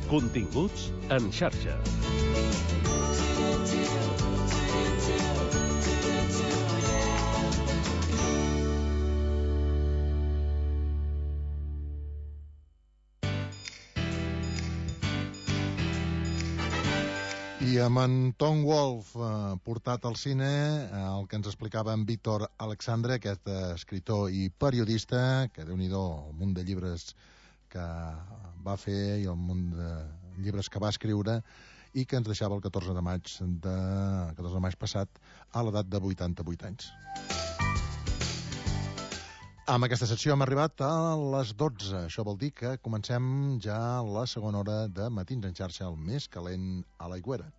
Continguts en xarxa. I amb en Tom Wolfe portat al cine, el que ens explicava en Víctor Alexandre, aquest escriptor i periodista, que déu-n'hi-do el munt de llibres que va fer i el munt de llibres que va escriure, i que ens deixava el 14 de maig passat a l'edat de 88 anys. Amb aquesta secció hem arribat a les 12. Això vol dir que comencem ja la segona hora de Matins en xarxa, el més calent a l'Aigüera.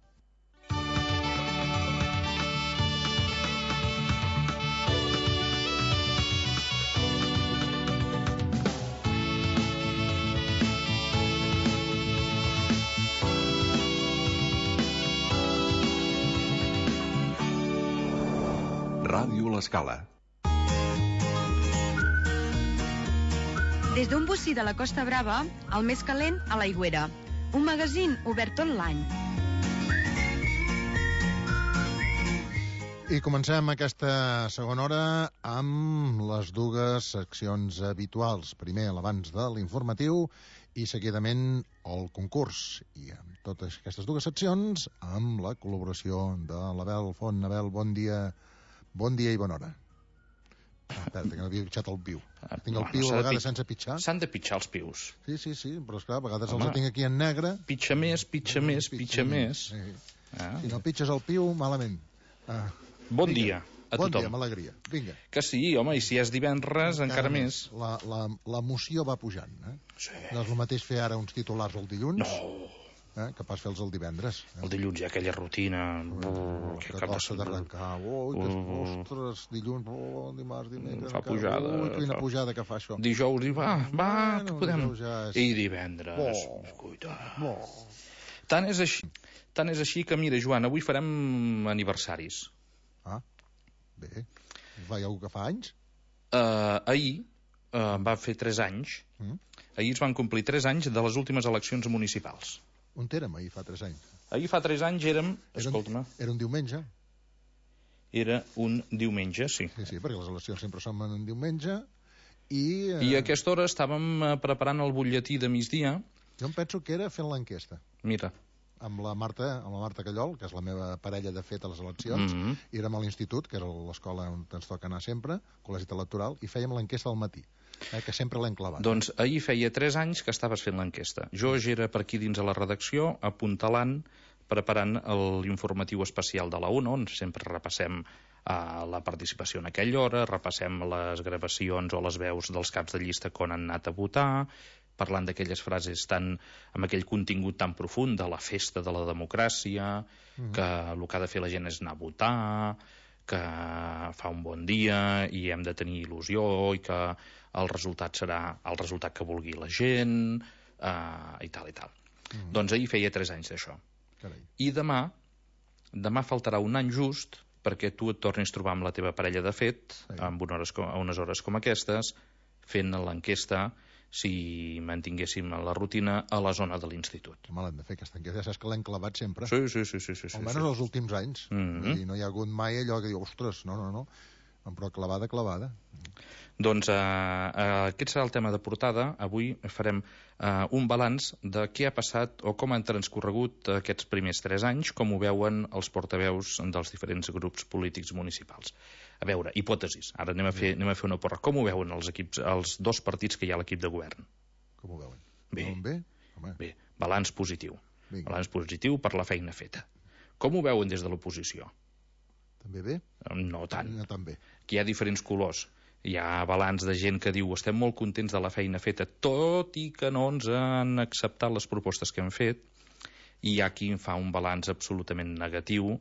Ràdio L'Escala. Des d'un bocí de la Costa Brava, el més calent a l'Aigüera. Un magazín obert tot l'any. I comencem aquesta segona hora amb les dues seccions habituals. Primer, l'abans de l'informatiu i seguidament el concurs. I amb totes aquestes dues seccions, amb la col·laboració de l'Abel Font. Abel, bon dia i bona hora. Espera, que no havia pitjat el piu. Tinc el piu a vegades sense pitjar. S'han de pitjar els pius. Sí, però esclar, a vegades els tinc aquí en negre. Pitja més. Sí. Si no pitges el piu, malament. Bon dia a tothom. Bon dia, amb alegria. Vinga. Que sí, home, i si és divendres, encara més. L'emoció va pujant, Sí. No és el mateix fer ara uns titulars el dilluns. No. Que pas fer-los el divendres. El dilluns hi ha aquella rutina que costa d'arrencar. Ostres, dilluns, dimarts, dimecres, fa pujada, quina pujada que fa això. Dijous, que podem. I divendres, cuita. Tant és així que, mira, Joan, avui farem aniversaris. Bé, hi ha algú que fa anys? Ahir va fer 3 anys. Ahir es van complir 3 anys de les últimes eleccions municipals. On érem ahir fa 3 anys? Ahir fa 3 anys érem... Escolta-me. Era un diumenge? Era un diumenge, sí. Sí, perquè les eleccions sempre són en un diumenge i... I a aquesta hora estàvem preparant el butlletí de migdia. Jo em penso que era fent l'enquesta. Mira. Amb la Marta Callol, que és la meva parella de fet a les eleccions, i érem a l'institut, que era l'escola on ens toca anar sempre, col·legi electoral, i fèiem l'enquesta al matí. Que sempre l'hem clavat. Doncs ahir feia 3 anys que estaves fent l'enquesta. Jo ja era per aquí dins a la redacció, apuntalant, preparant l'informatiu especial de la UNO, on sempre repassem la participació en aquella hora, repassem les gravacions o les veus dels caps de llista que han anat a votar, parlant d'aquelles frases amb aquell contingut tan profund de la festa de la democràcia, que el que ha de fer la gent és anar a votar, que fa un bon dia i hem de tenir il·lusió i que el resultat serà el resultat que vulgui la gent, i tal. Doncs ahir feia 3 anys d'això. Carai. I demà faltarà un any just perquè tu et tornis a trobar amb la teva parella de fet, amb unes hores com aquestes, fent l'enquesta si mantinguéssim la rutina a la zona de l'institut. Home, l'hem de fer aquesta enquesta, ja saps que l'hem clavat sempre. Sí. Almenys els últims anys. I no hi ha hagut mai allò que diu, ostres, no. Però clavada. Doncs aquest serà el tema de portada. Avui farem un balanç de què ha passat o com han transcorregut aquests primers 3 anys, com ho veuen els portaveus dels diferents grups polítics municipals. A veure, hipòtesis. Ara anem a fer una porra. Com ho veuen els 2 partits que hi ha a l'equip de govern? Com ho veuen? Bé, balanç positiu. Vinga. Balanç positiu per la feina feta. Com ho veuen des de l'oposició? També bé? No tant. No tan bé. Aquí hi ha diferents colors. Hi ha balanç de gent que diu estem molt contents de la feina feta, tot i que no ens han acceptat les propostes que hem fet, i hi ha qui fa un balanç absolutament negatiu,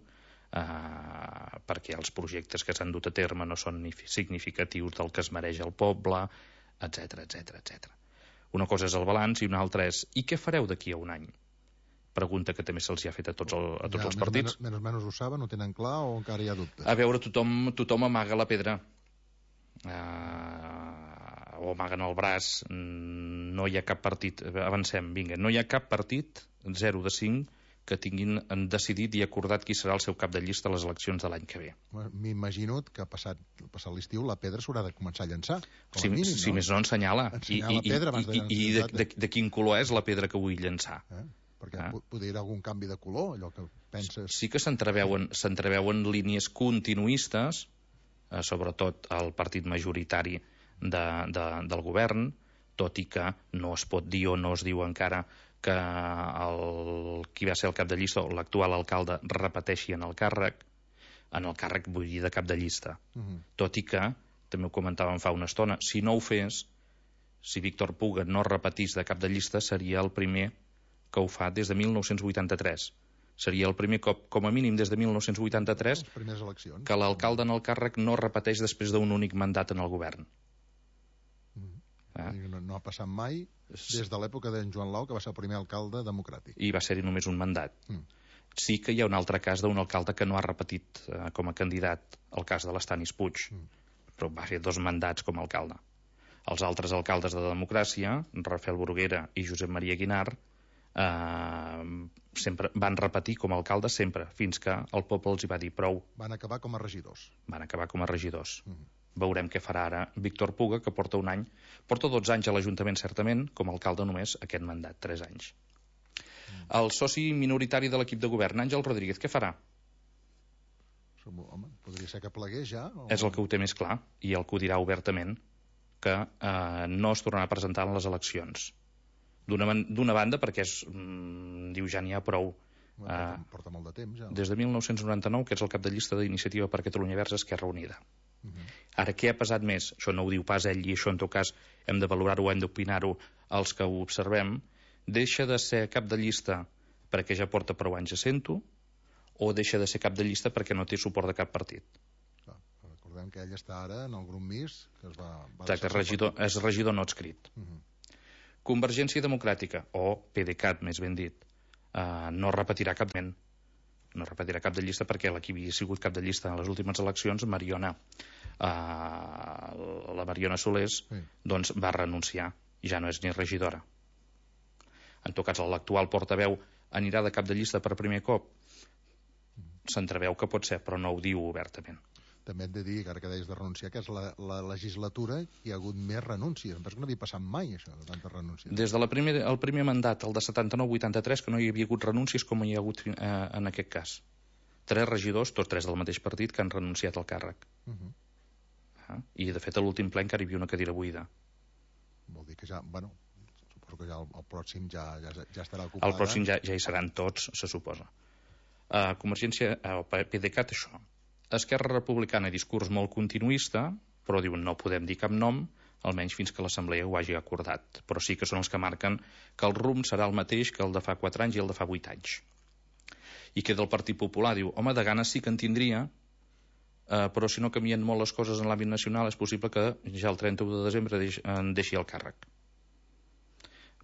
perquè els projectes que s'han dut a terme no són ni significatius del que es mereix el poble, etc. Una cosa és el balanç i una altra és i què fareu d'aquí a un any? Pregunta que també se'ls ha fet a tots els partits. Menys ho saben, ho tenen clar o encara hi ha dubtes? A veure, tothom amaga la pedra. o amaguen el braç, no hi ha cap partit, avancem, vinga, no hi ha cap partit, 0 de 5, que tinguin decidit i acordat qui serà el seu cap de llista a les eleccions de l'any que ve. M'imagino que passat l'estiu la pedra s'haurà de començar a llançar. Si més no, ensenyar-la. Ensenyar la pedra abans de llançar. I de quin color és la pedra que vull llançar. Perquè podria haver algun canvi de color, allò que penses... Sí que s'entreveuen línies continuistes, sobretot el partit majoritari del govern, tot i que no es pot dir o no es diu encara que qui va ser el cap de llista o l'actual alcalde repeteixi en el càrrec vull dir de cap de llista. Tot i que, també ho comentàvem fa una estona, si no ho fes, si Víctor Puga no repetís de cap de llista, seria el primer que ho fa des de 1983. Seria el primer cop, com a mínim des de 1983, que l'alcalde en el càrrec no repeteix després d'un únic mandat en el govern. No ha passat mai des de l'època d'en Joan Lau, que va ser el primer alcalde democràtic. I va ser-hi només un mandat. Sí que hi ha un altre cas d'un alcalde que no ha repetit com a candidat, el cas de l'Estanis Puig, però va fer 2 mandats com a alcalde. Els altres alcaldes de democràcia, Rafael Bruguera i Josep Maria Guinar, sempre van repetir com a alcalde sempre, fins que el poble els hi va dir prou. Van acabar com a regidors. Veurem què farà ara Víctor Puga, que porta 12 anys a l'Ajuntament, certament, com a alcalde només aquest mandat, 3 anys. El soci minoritari de l'equip de govern, Àngel Rodríguez, què farà? Home, podria ser que plegués ja? És el que ho té més clar, i el que ho dirà obertament, que no es tornarà a presentar en les eleccions. D'una banda, perquè diu ja n'hi ha prou. Porta molt de temps, ja. Des de 1999, que és el cap de llista d'Iniciativa per Catalunya Verds, Esquerra Unida. Ara, què ha pesat més? Això no ho diu pas ell, i això en tot cas hem de valorar-ho, hem d'opinar-ho els que ho observem. Deixa de ser cap de llista perquè ja porta prou anys assent-ho, o deixa de ser cap de llista perquè no té suport de cap partit? Recordem que ell està ara en el grup MIS, que es va... Exacte, és regidor no adscrit. Convergència Democràtica, o PDeCAT, més ben dit, no repetirà cap de llista perquè la que havia sigut cap de llista en les últimes eleccions, la Mariona Solés, doncs va renunciar i ja no és ni regidora. En tot cas, l'actual portaveu anirà de cap de llista per primer cop? S'entreveu que pot ser, però no ho diu obertament. També hem de dir, ara que deies de renunciar, que és la legislatura hi ha hagut més renúncies. Em penso que no havia passat mai, això, de tantes renúncies. Des del primer mandat, el de 79-83, que no hi havia hagut renúncies com hi ha hagut en aquest cas. 3 regidors, tots 3 del mateix partit, que han renunciat al càrrec. I, de fet, a l'últim ple encara hi havia una cadira buida. Vol dir que ja, suposo que ja el pròxim ja estarà ocupada. El pròxim ja hi seran tots, se suposa. Convergència, PDeCAT, això. Esquerra Republicana, discurs molt continuista, però diuen no podem dir cap nom, almenys fins que l'Assemblea ho hagi acordat. Però sí que són els que marquen que el rumb serà el mateix que el de fa 4 anys i el de fa 8 anys. I queda el Partit Popular, diu, home, de ganes sí que en tindria, però si no canvien molt les coses en l'àmbit nacional és possible que ja el 31 de desembre en deixi el càrrec.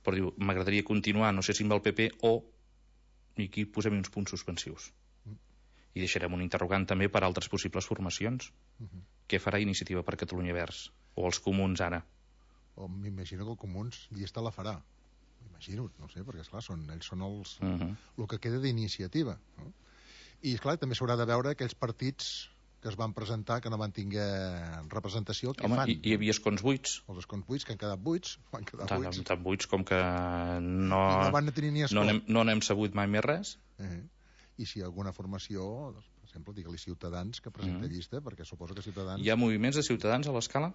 Però diu, m'agradaria continuar, no sé si amb el PP o, i aquí posem uns punts suspensius. I deixarem un interrogant també per altres possibles formacions. Què farà Iniciativa per Catalunya Verds? O els Comuns ara? M'imagino que els Comuns llista la farà. M'imagino, no sé, perquè esclar, ells són el que queda d'Iniciativa. I esclar, també s'haurà de veure aquells partits que es van presentar, que no van tinguer representació, què fan? Hi havia escons buits. Els escons buits, que han quedat buits. Tan buits com que no van tenir ni escó. No n'hem sabut mai més res. I si hi ha alguna formació, doncs, per exemple, digue-li Ciutadans que presenta llista, perquè suposo que Ciutadans... Hi ha moviments de Ciutadans a l'escala?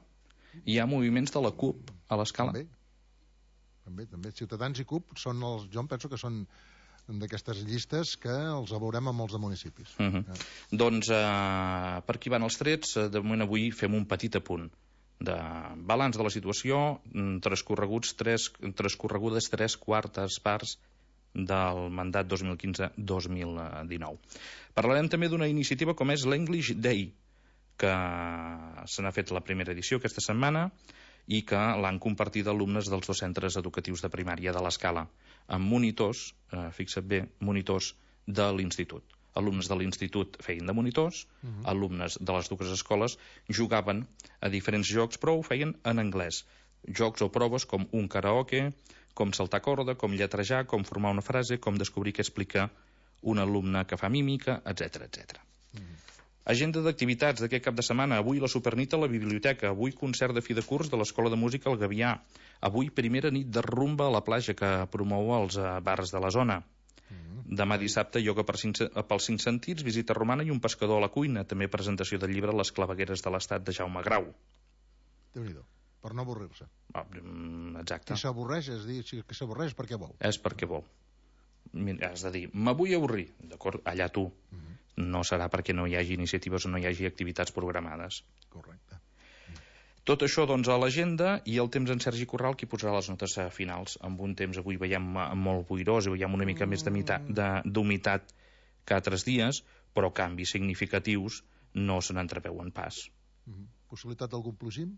Hi ha moviments de la CUP a l'escala? També. Ciutadans i CUP són jo em penso que són d'aquestes llistes que els veurem a molts de municipis. Doncs per aquí van els trets. De moment avui fem un petit apunt de balanç de la situació, transcorregudes 3 quartes parts del mandat 2015-2019. Parlarem també d'una iniciativa com és l'English Day, que se n'ha fet la primera edició aquesta setmana i que l'han compartit alumnes dels 2 centres educatius de primària de l'Escala, amb monitors, fixa't bé, monitors de l'institut. Alumnes de l'institut feien de monitors, alumnes de les 2 escoles jugaven a diferents jocs, però ho feien en anglès. jocs o proves com un karaoke, com saltar corda, com lletrejar, com formar una frase, com descobrir què explica un alumne que fa mímica, etc etc. Agenda d'activitats d'aquest cap de setmana. Avui la Supernit a la biblioteca, avui concert de fi de curs de l'Escola de Música al Gavià, avui primera nit de rumba a la platja que promou els bars de la zona. Demà dissabte, ioga pels 5 sentits, visita romana i un pescador a la cuina. També presentació del llibre Les clavegueres de l'Estat de Jaume Grau. Déu-n'hi-do, per no avorrir-se. Exacte. Si s'avorreix, és dir, que s'avorreix perquè vol. És perquè vol. Mira, has de dir, me vull avorrir. D'acord, allà tu. No serà perquè no hi hagi iniciatives o no hi hagi activitats programades. Correcte. Tot això, doncs, a l'agenda, i el temps en Sergi Corral, qui posarà les notes finals. Amb un temps avui veiem molt boirós i veiem una mica més d'humitat que altres dies, però canvis significatius no se n'entreveuen pas. Possibilitat d'algun plogim?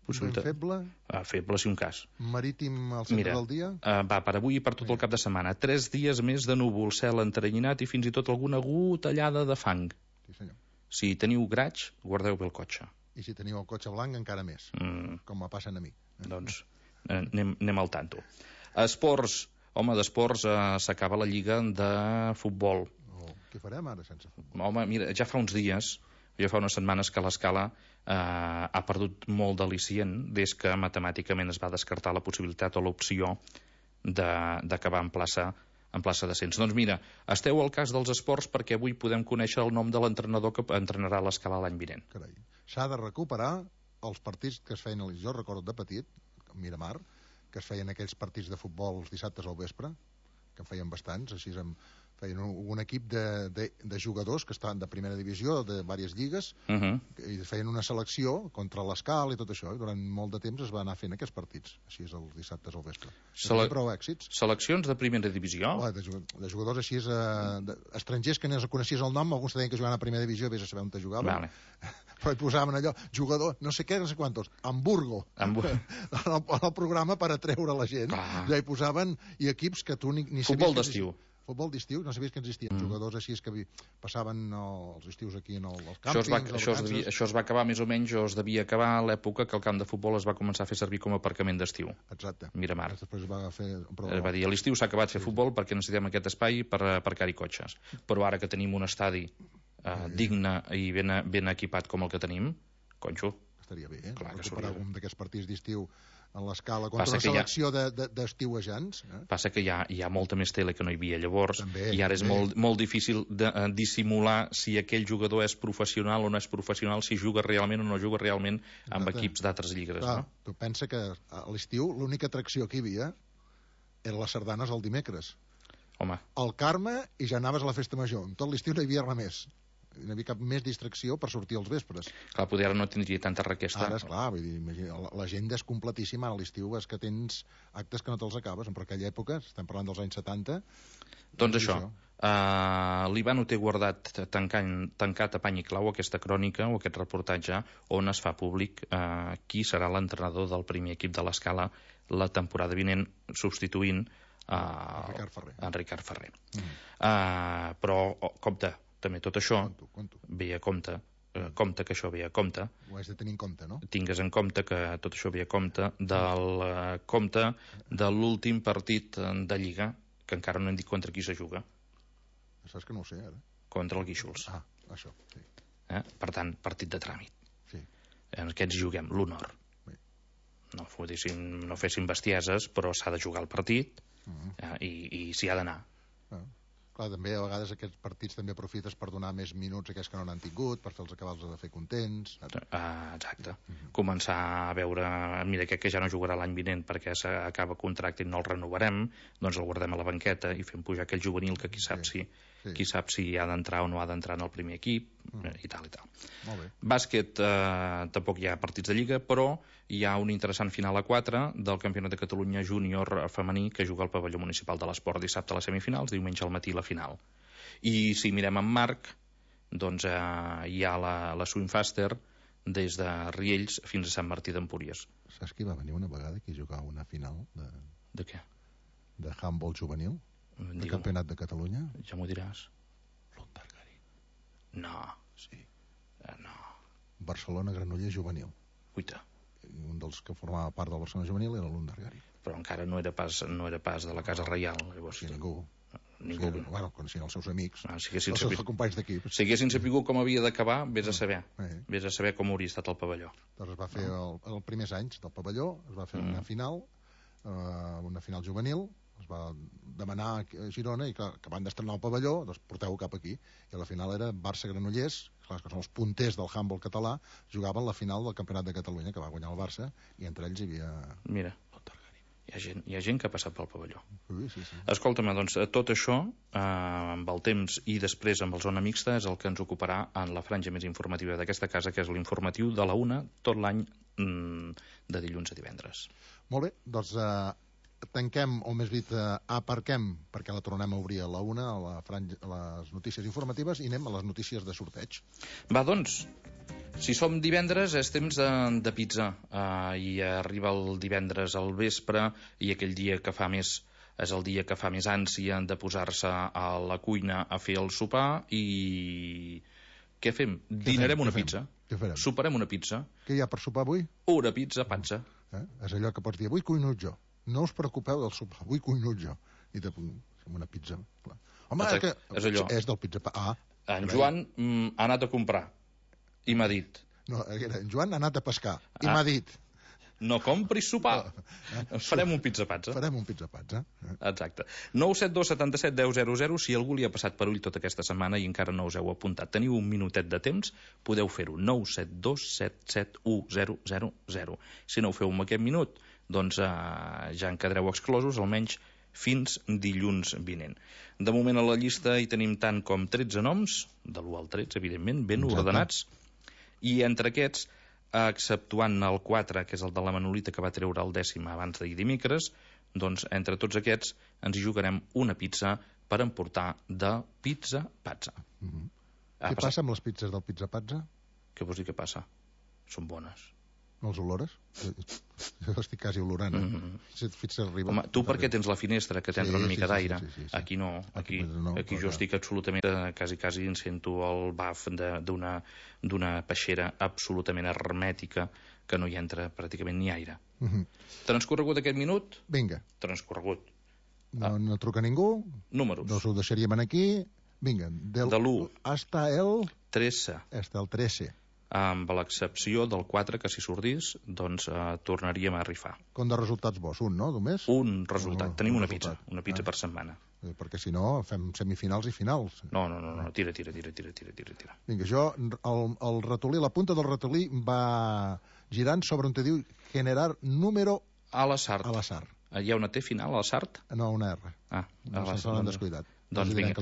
Possibilitat... Feble? Feble, si un cas. Marítim al centre del dia? Va, per avui i per tot el cap de setmana. 3 dies més de núvol, cel enteranyinat i fins i tot alguna gotellada de fang. Sí, senyor. Si teniu graig, guardeu bé el cotxe. I si teniu el cotxe blanc, encara més. Com me passen a mi. Doncs anem al tanto. Esports. Home, d'esports s'acaba la lliga de futbol. Què farem ara sense futbol? Home, mira, ja fa uns dies, ja fa unes setmanes que l'Escala ha perdut molt d'al·licient des que matemàticament es va descartar la possibilitat o l'opció d'acabar en plaça d'ascens. Doncs mira, esteu al cas dels esports perquè avui podem conèixer el nom de l'entrenador que entrenarà l'Escala l'any vinent. Carai. S'ha de recuperar els partits que es feien, jo recordo de petit, a Miramar, que es feien aquells partits de futbol els dissabtes al vespre, que en feien bastants, així feien un equip de jugadors que estaven de primera divisió, de diverses lligues, i feien una selecció contra l'Escala i tot això, i durant molt de temps es va anar fent aquests partits, així és els dissabtes al vespre. Prou èxits. Seleccions de primera divisió? De jugadors així, estrangers que no coneixies el nom, alguns deien que jugaven a primera divisió, vés a saber on te jugaven. Vale. Però hi posaven allò, jugador, no sé què, no sé quantos, Hamburgo, el programa per atreure la gent. Ja hi posaven i equips que tu ni sabies... Futbol d'estiu. Futbol d'estiu, no sabies que existien jugadors així que passaven els estius aquí en els càmpings. Això es va acabar més o menys, o es devia acabar a l'època que el camp de futbol es va començar a fer servir com a aparcament d'estiu. Exacte. Miramar. Després va va dir, a l'estiu s'ha acabat fer futbol perquè necessitem aquest espai per aparcar-hi cotxes. Però ara que tenim un estadi digne i ben equipat com el que tenim, conxo. Estaria bé, recuperar algun d'aquests partits d'estiu a l'Escala contra una selecció d'estiuejants. Passa que hi ha molta més tele que no hi havia llavors, i ara és molt difícil de dissimular si aquell jugador és professional o no és professional, si juga realment o no juga realment amb equips d'altres lligues. Tu pensa que a l'estiu l'única atracció que hi havia eren les sardanes el dimecres. Home. El Carme, i ja anaves a la festa major. Tot l'estiu no hi havia res més. No hi havia cap més distracció per sortir als vespres. Clar, poder ara no tindria tanta requesta. Ara, esclar, vull dir, l'agenda és completíssima. A l'estiu és que tens actes que no te'ls acabes. En aquella època, estem parlant dels anys 70... Doncs això. L'Ivan ho té guardat tancat a pany i clau, aquesta crònica o aquest reportatge on es fa públic qui serà l'entrenador del primer equip de l'Escala la temporada vinent, substituint en Ricard Ferrer. Però, compte, també tot això ve a compte, que això ve a compte. Ho has de tenir en compte, no? Tingues en compte que tot això ve a compte de l'últim partit de Lliga, que encara no hem dit contra qui se juga. Saps que no ho sé, ara? Contra el Guíxols. Això, sí. Per tant, partit de tràmit. Sí. En aquests juguem l'honor. No fessin bestieses, però s'ha de jugar el partit i s'hi ha d'anar. Clar, també a vegades aquests partits també aprofites per donar més minuts a aquells que no n'han tingut, per fer-los acabar de fer contents. Exacte. Començar a veure, mira, aquest que ja no jugarà l'any vinent perquè s'acaba contracte i no el renovarem, doncs el guardem a la banqueta i fem pujar aquell juvenil que qui sap si ha d'entrar o no ha d'entrar en el primer equip, i tal i tal. Molt bé. Bàsquet, tampoc hi ha partits de Lliga, però hi ha un interessant final a 4 del Campionat de Catalunya júnior femení que juga al pavelló municipal de l'Esport dissabte a les semifinals, diumenge al matí la final. I si mirem en Marc, doncs hi ha la Swingfaster des de Riells fins a Sant Martí d'Empúries. Saps qui va venir una vegada aquí a jugar una final de què? De handball juvenil? De Campionat de Catalunya? Ja m'ho diràs. L'Ontargari. No. Sí. No. Barcelona-Granollers juvenil. Uita. un dels que formava part del Barcelona juvenil era l'Undergari. Però encara no era pas de la Casa Reial. Llavors, Sí, ningú. ningú. Sí, bueno, coneixien els seus amics, Si els haguessin seus companys d'equip. Si haguessin sapigut com havia d'acabar, vés a saber. Vés a saber com hauria estat el pavelló. Doncs es va fer els primers anys del pavelló, es va fer una final juvenil, es va demanar a Girona i clar, que van d'estrenar el pavelló, doncs porteu-ho cap aquí. I la final era Barça-Granollers, clar, que són els punters del handball català, jugaven la final del Campionat de Catalunya, que va guanyar el Barça, i entre ells hi havia... Mira, hi ha gent que ha passat pel pavelló. Sí. Escolta'm, doncs tot això, amb el temps i després amb el Zona Mixta, és el que ens ocuparà en la franja més informativa d'aquesta casa, que és l'informatiu de la 1 tot l'any de dilluns a divendres. Molt bé, doncs tanquem, o més dit, aparquem, perquè la tornem a obrir a la 1, a les notícies informatives, i anem a les notícies de sorteig. Va, doncs, si som divendres és temps de pizza, i arriba el divendres al vespre, i aquell dia que fa més és el dia que fa més ànsia de posar-se a la cuina a fer el sopar, i què fem? Dinarem una pizza. Què farem? Soparem una pizza. Què hi ha per sopar avui? Una pizza, pazza. És allò que pots dir, avui cuino jo. No us preocupeu del sopar, avui cuino jo. I te fem una pizza. Clar. Home, és allò. És del pizza... En Joan ha anat a comprar i m'ha dit... No, en Joan ha anat a pescar i m'ha dit... No compris sopar. Farem un pizza-pazza. Farem un pizza-pazza. Exacte. 972 77 10 00. Si algú li ha passat per ull tota aquesta setmana i encara no us heu apuntat, teniu un minutet de temps, podeu fer-ho. 972 77 10 00. Si no ho feu en aquest minut, doncs ja en quedareu exclosos, almenys fins dilluns vinent. De moment a la llista hi tenim tant com 13 noms, de l'1 al 13, evidentment, ben ordenats, i entre aquests, exceptuant el 4, que és el de la Manolita, que va treure el 10 abans d'ahir dimecres, doncs entre tots aquests ens hi jugarem una pizza per emportar de pizza-pazza. Què passa amb les pizzas del pizza-pazza? Què vols dir què passa? Són bones. No els olores? Jo estic quasi olorant. Si et fixes, arriba... Home, tu perquè tens la finestra, que t'entra una mica d'aire. Sí. Aquí no. Aquí jo estic absolutament... Quasi en sento el baf d'una peixera absolutament hermètica que no hi entra pràcticament ni aire. Transcorregut aquest minut? Vinga. Transcorregut. No truca ningú. Números. Doncs ho deixaríem aquí. Vinga. De l'1. Hasta el... 13. Hasta el 13. Amb l'excepció del 4, que si sortís, doncs tornaríem a rifar. Com de resultats bons? Un, no, només? Un resultat. Tenim una pizza per setmana. Perquè si no, fem semifinals i finals. No, tira. Vinga, jo, el ratolí, la punta del ratolí va girant sobre on te diu generar número a l'azar. Hi ha una T final, a l'azar? No, una R. No se l'han descuidat. Doncs vinga,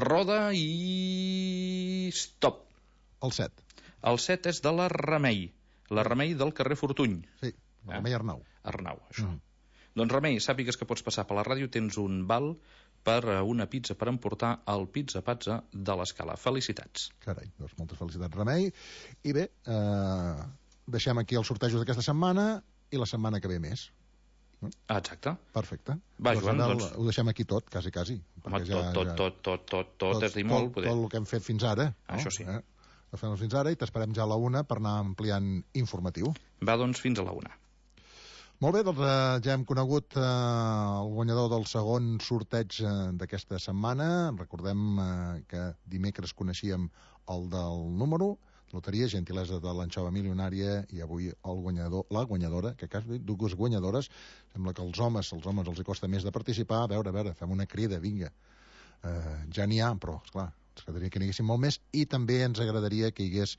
roda i... stop. El 7. El 7 és de la Remei. La Remei del carrer Fortuny. Sí, la Remei Arnau. Arnau, això. Doncs Remei, sàpigues que pots passar per la ràdio, tens un val per una pizza per emportar el pizza-pazza de l'Escala. Felicitats. Carai, doncs moltes felicitats, Remei. I bé, deixem aquí els sortejos d'aquesta setmana i la setmana que ve més. Exacte. Perfecte. Va, Joan, doncs... Ho deixem aquí tot, quasi. Home, tot és dir molt. Tot el que hem fet fins ara. Això sí. Ho fem fins ara i t'esperem ja a la 1 per anar ampliant informatiu. Va, doncs, fins a la 1. Molt bé, doncs ja hem conegut el guanyador del segon sorteig d'aquesta setmana. Recordem que dimecres coneixíem el del número, loteria, gentilesa de l'anxova milionària, i avui el guanyador, la guanyadora, que quasi dues guanyadores. Sembla que als homes els hi costa més de participar. A veure, fem una crida, vinga. Ja n'hi ha, però, esclar, ens agradaria que n'hi haguessin molt més, i també ens agradaria que hi hagués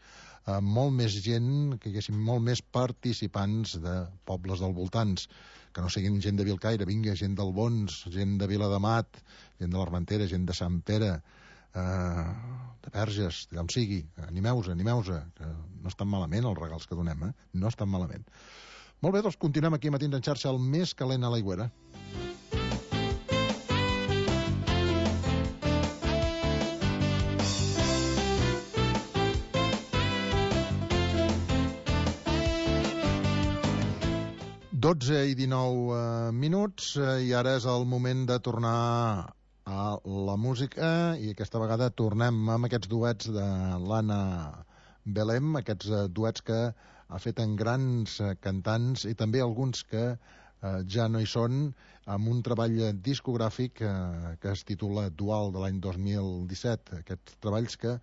molt més gent, que hi haguessin molt més participants de pobles del voltants, que no siguin gent de Vilcaire, vinga, gent del Bons, gent de Viladamat, gent de l'Armentera, gent de Sant Pere, de Verges, d'on sigui. Animeu-se, que no estan malament els regals que donem, no estan malament. Molt bé, doncs continuem aquí Matins en xarxa, el més calent a l'Aigüera. Dotze i 19 minuts, i ara és el moment de tornar a la música, i aquesta vegada tornem amb aquests duets de l'Anna Belém, aquests duets que ha fet en grans cantants i també alguns que ja no hi són, amb un treball discogràfic que es titula Dual de l'any 2017. Aquests treballs que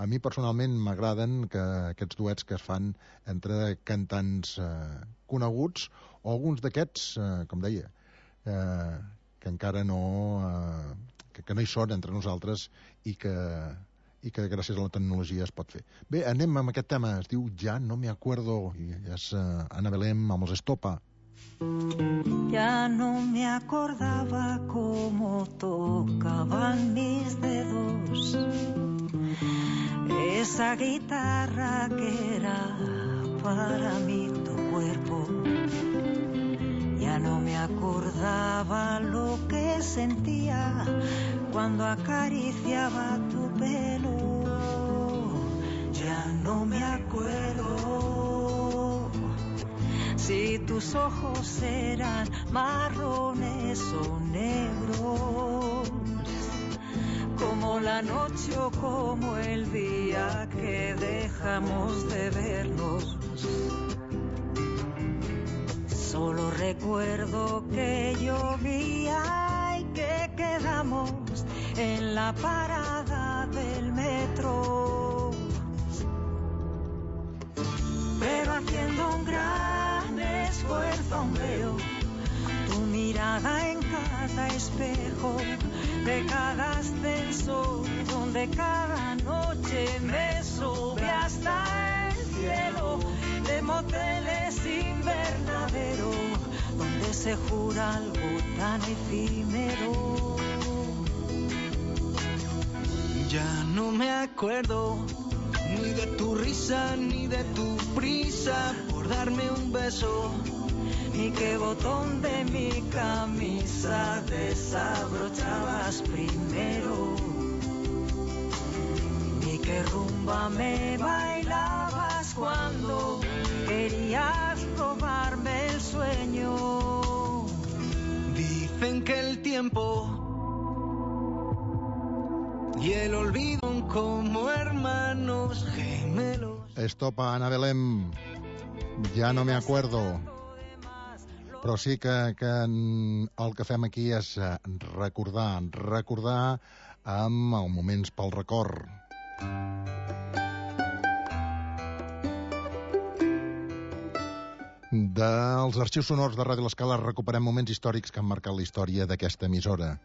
a mi personalment m'agraden, que aquests duets que es fan entre cantants coneguts, o alguns d'aquests, com deia, que encara no que no hi són entre nosaltres i que gràcies a la tecnologia es pot fer. Bé, anem amb aquest tema, es diu Ja no me acuerdo, i és Ana Belén amb els Estopa. Ya no me acordaba cómo tocaban mis dedos esa guitarra que era para mí tu cuerpo. Ya no me acordaba lo que sentía cuando acariciaba tu pelo. Ya no me acuerdo si tus ojos eran marrones o negros, como la noche o como el día que dejamos de vernos. Solo recuerdo que llovía y que quedamos en la parada del metro, pero haciendo un gran esfuerzo aún veo tu mirada en cada espejo de cada ascensor, donde cada noche me sube hasta el cielo, de moteles invernadero, donde se jura algo tan efímero. Ya no me acuerdo ni de tu risa ni de tu prisa por darme un beso, ni qué botón de mi camisa desabrochabas primero, ni qué rumba me bailabas cuando querías robarme el sueño. Dicen que el tiempo y el olvido son como hermanos gemelos. Estopa, Ana Belén, ja no me acuerdo. Però sí que el que fem aquí és recordar amb els moments pel record. Dels arxius sonors de Ràdio L'Escala recuperem moments històrics que han marcat la història d'aquesta emissora.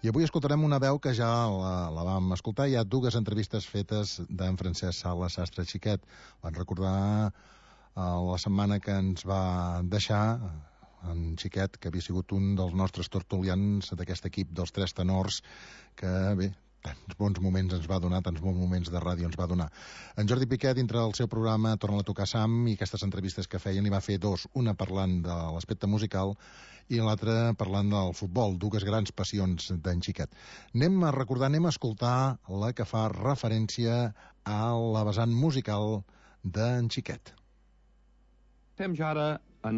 I avui escoltarem una veu que ja la vam escoltar. Hi ha dues entrevistes fetes d'en Francesc Sala Sastre Xiquet. Van recordar la setmana que ens va deixar en Xiquet, que havia sigut un dels nostres tertulians d'aquest equip dels Tres Tenors, que bé, tants bons moments ens va donar, tants bons moments de ràdio ens va donar. En Jordi Piqué, dintre del seu programa Torna a tocar Sam, i aquestes entrevistes que feien, hi va fer dos, una parlant de l'aspecte musical i l'altra parlant del futbol, dues grans passions d'en Xiquet. Anem a recordar, anem a escoltar la que fa referència a la vessant musical d'en Xiquet. Estem ja ara en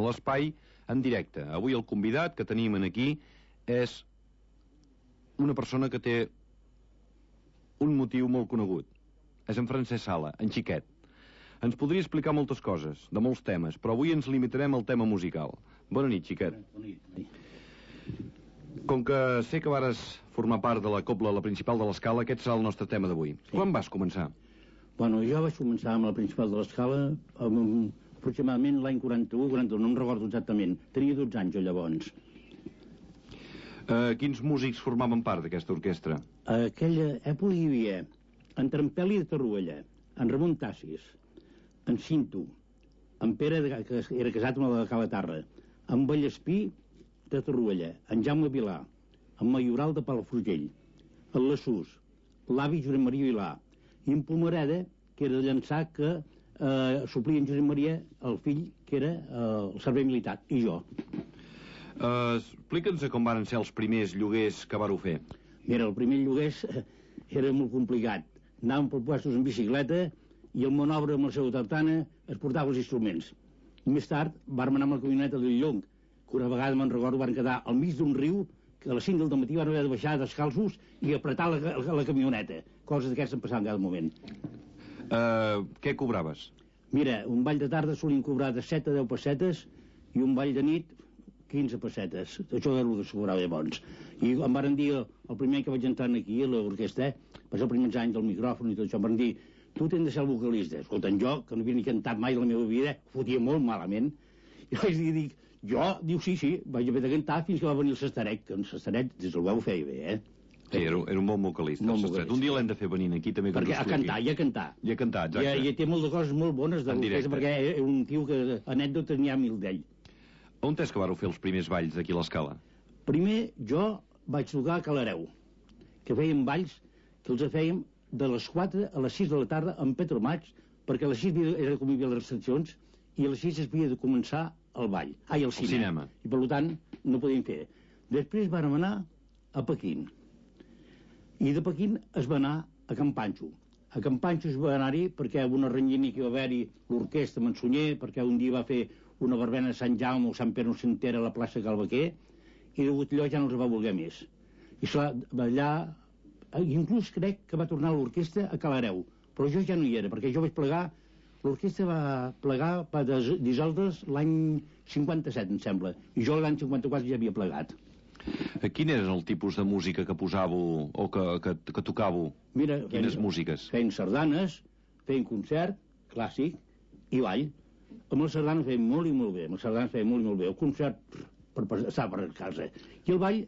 l'espai en directe. Avui el convidat que tenim aquí és una persona que té un motiu molt conegut. És en Francesc Sala, en Xiquet. Ens podria explicar moltes coses, de molts temes, però avui ens limitarem al tema musical. Bona nit, Xiquet. Bona nit. Com que sé que vares formar part de la cobla, la principal de l'Escala, aquest serà el nostre tema d'avui. Sí. Quan vas començar? Bueno, jo vaig començar amb la principal de l'Escala aproximadament l'any 41, no em recordo exactament. Tenia 12 anys jo llavors. Quins músics formaven part d'aquesta orquestra? A aquella època hi havia en Trampeli de Tarruella, en Ramon Tassis, en Cinto, en Pere, que era casat amb la de Calatarra, en Vallespí de Tarruella, en Jaume Vilà, en Mayoral de Palafrugell, en Lassús, l'avi Josep Maria Vilà, i en Pomereda, que era de Llançà, que suplia en Josep Maria, el fill, que era el servei militar, i jo. Explica'ns com van ser els primers lloguers que vareu fer. Mira, el primer lloguers era molt complicat. Anàvem per puestos en bicicleta i el monobre amb la seva tartana es portava els instruments. Més tard vàrem anar amb la camioneta del Llong, que una vegada me'n recordo van quedar al mig d'un riu, que a les 5 del matí van haver de baixar descalços i apretar la camioneta. coses d'aquestes em passaven cada moment. Què cobraves? Mira, un ball de tarda solien cobrar de 7 a 10 pessetes i un ball de nit 15 pessetes. Això era el que es cobrava llavors. I em van dir, el primer any que vaig entrar aquí a l'orquestra, va ser els primers anys del micròfon i tot això, em van dir, tu tens de ser el vocalista. Escolta, jo, que no havia ni cantat mai a la meva vida, fotia molt malament. I vaig dir, jo, diu, sí, vaig haver de cantar fins que va venir el Sestarec, que el Sestarec, des del veu ho feia bé, Sí, era un bon vocalista. Un dia l'hem de fer venint aquí també. Perquè a cantar, i a cantar. I a cantar, exacte. I té moltes coses molt bones de l'orquestra, perquè és un tio que anècdotes n'hi ha mil d'ell. On és que vareu fer els primers balls d'aquí a l'Escala? Primer, jo vaig tocar a Calareu, que fèiem balls que els fèiem de les 4 a les 6 de la tarda en Petromaig, perquè a les 6 era com hi havia les recepcions, i a les 6 es havia de començar el ball. El cinema. I per tant, no podíem fer. Després vam anar a Pequín. I de Pequín es va anar a Can Panxo. A Can Panxo es va anar-hi perquè una renyina que va haver-hi l'orquestra Mansunyer, perquè un dia va fer una verbena a Sant Jaume o Sant Pere Nocentera a la plaça Calvaquer, i degut allò ja no els va voler més. I allà, inclús crec que va tornar l'orquestra a Calareu, però jo ja no hi era, perquè jo vaig plegar, l'orquestra va plegar per dissoldre's l'any 57, em sembla, i jo l'any 54 ja havia plegat. Quin era el tipus de música que posàveu o que tocàveu? Mira, quines músiques? Feien sardanes, feien concert, clàssic, i ball. Amb les sardanes feien molt i molt bé. El concert estava per casa. I el ball,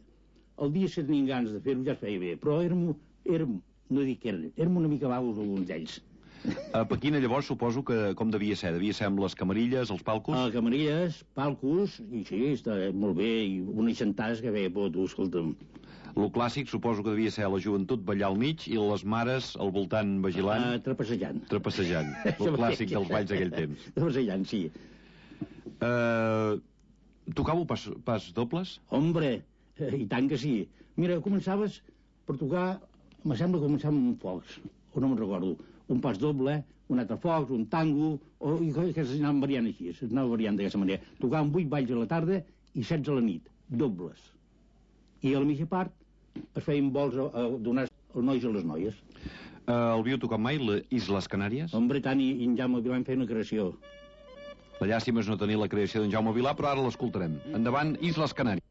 el dia que tenien ganes de fer-ho ja es feia bé. Però érem una mica vagos alguns d'ells. A Pequín, llavors, suposo que com devia ser? Devia ser amb les camarilles, els palcos? Camarilles, palcos, i sí, està molt bé, i unes xantades que veia por, tu, escolta'm. Lo clàssic suposo que devia ser la joventut ballar al mig i les mares al voltant vigilant... Trapassejant. Lo clàssic dels balls d'aquell temps. Trapassejant, sí. Tocàveu pas dobles? Hombre, i tant que sí. Mira, començaves per tocar, me sembla que començàvem amb focs, o no me'n recordo, un pas doble, un altre focs, un tango, i que s'anaven variant així, s'anaven variant d'aquesta manera. Tocàvem 8 balls a la tarda i 16 a la nit, dobles. I a la mitja part es feien vols a donar els nois a les noies. El viu tocat mai, les Isles Canàries? Hombre, tant, i en Jaume Vilà vam fer una creació. La llàstima és no tenir la creació d'en Jaume Vilà, però ara l'escoltarem. Endavant, Isles Canàries.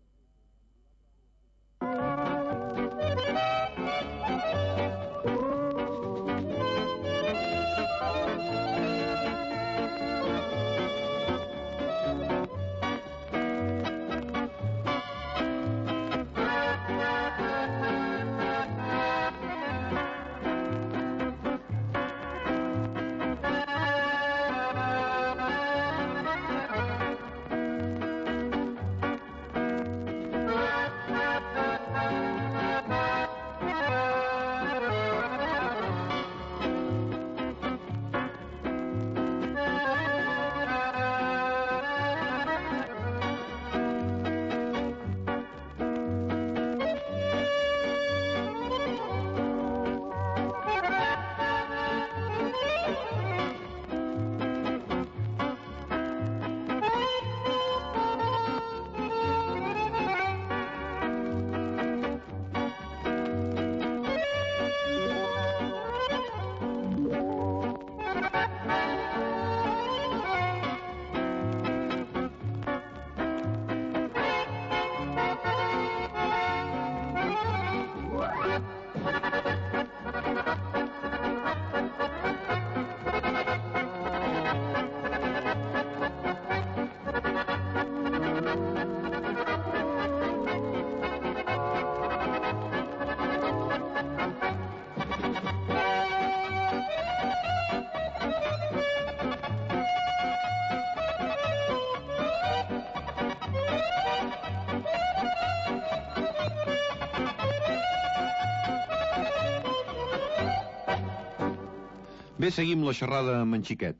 Bé, seguim la xerrada amb en Xiquet.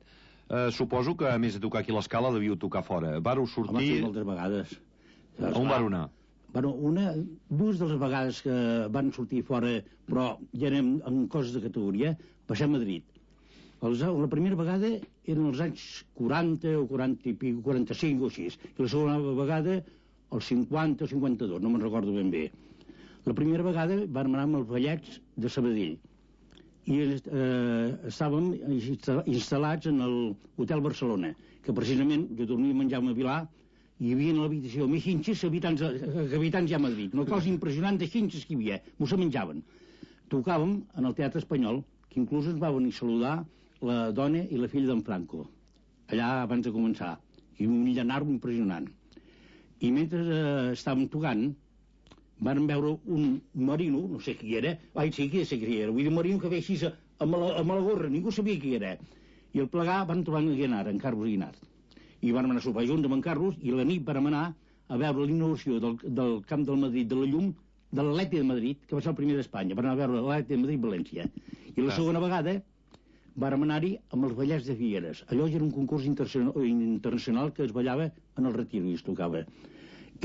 Suposo que, a més de tocar aquí a l'Escala, devíeu tocar fora. Vareu sortir... Home, sí, moltes vegades. On vareu anar? Bueno, dues de les vegades que van sortir fora, però ja anem en coses de categoria, passem a Madrid. La primera vegada eren els anys 40 o 40 i pico, 45 o així. I la segona vegada, els 50 o 52, no me'n recordo ben bé. La primera vegada vam anar amb els ballets de Sabadell. i estàvem instal·lats en l'Hotel Barcelona, que precisament jo dormia a menjar a Vilar, i hi havia en l'habitació més xinxes que habitants ja a Madrid. Una cosa impressionant de xinxes que hi havia, m'ho se menjaven. Tocàvem en el Teatre Espanyol, que inclús ens va venir a saludar la dona i la filla d'en Franco, allà abans de començar, i un llanarro impressionant. I mentre estàvem tocant, van veure un marino, no sé qui era, sí que sé qui era, vull dir un marino que ve així amb la gorra, ningú sabia qui era. I al plegar van trobar en Carlos Guinart. I van anar a sopar junts amb en Carlos, i la nit vam anar a veure l'inauguració del Camp del Madrid de la Llum, de l'Atleti de Madrid, que va ser el primer d'Espanya. Van anar a veure l'Atleti de Madrid-València. I la segona vegada vàrem anar-hi amb els ballets de Figueres. Allò era un concurs internacional que es ballava en el Retiro i es tocava.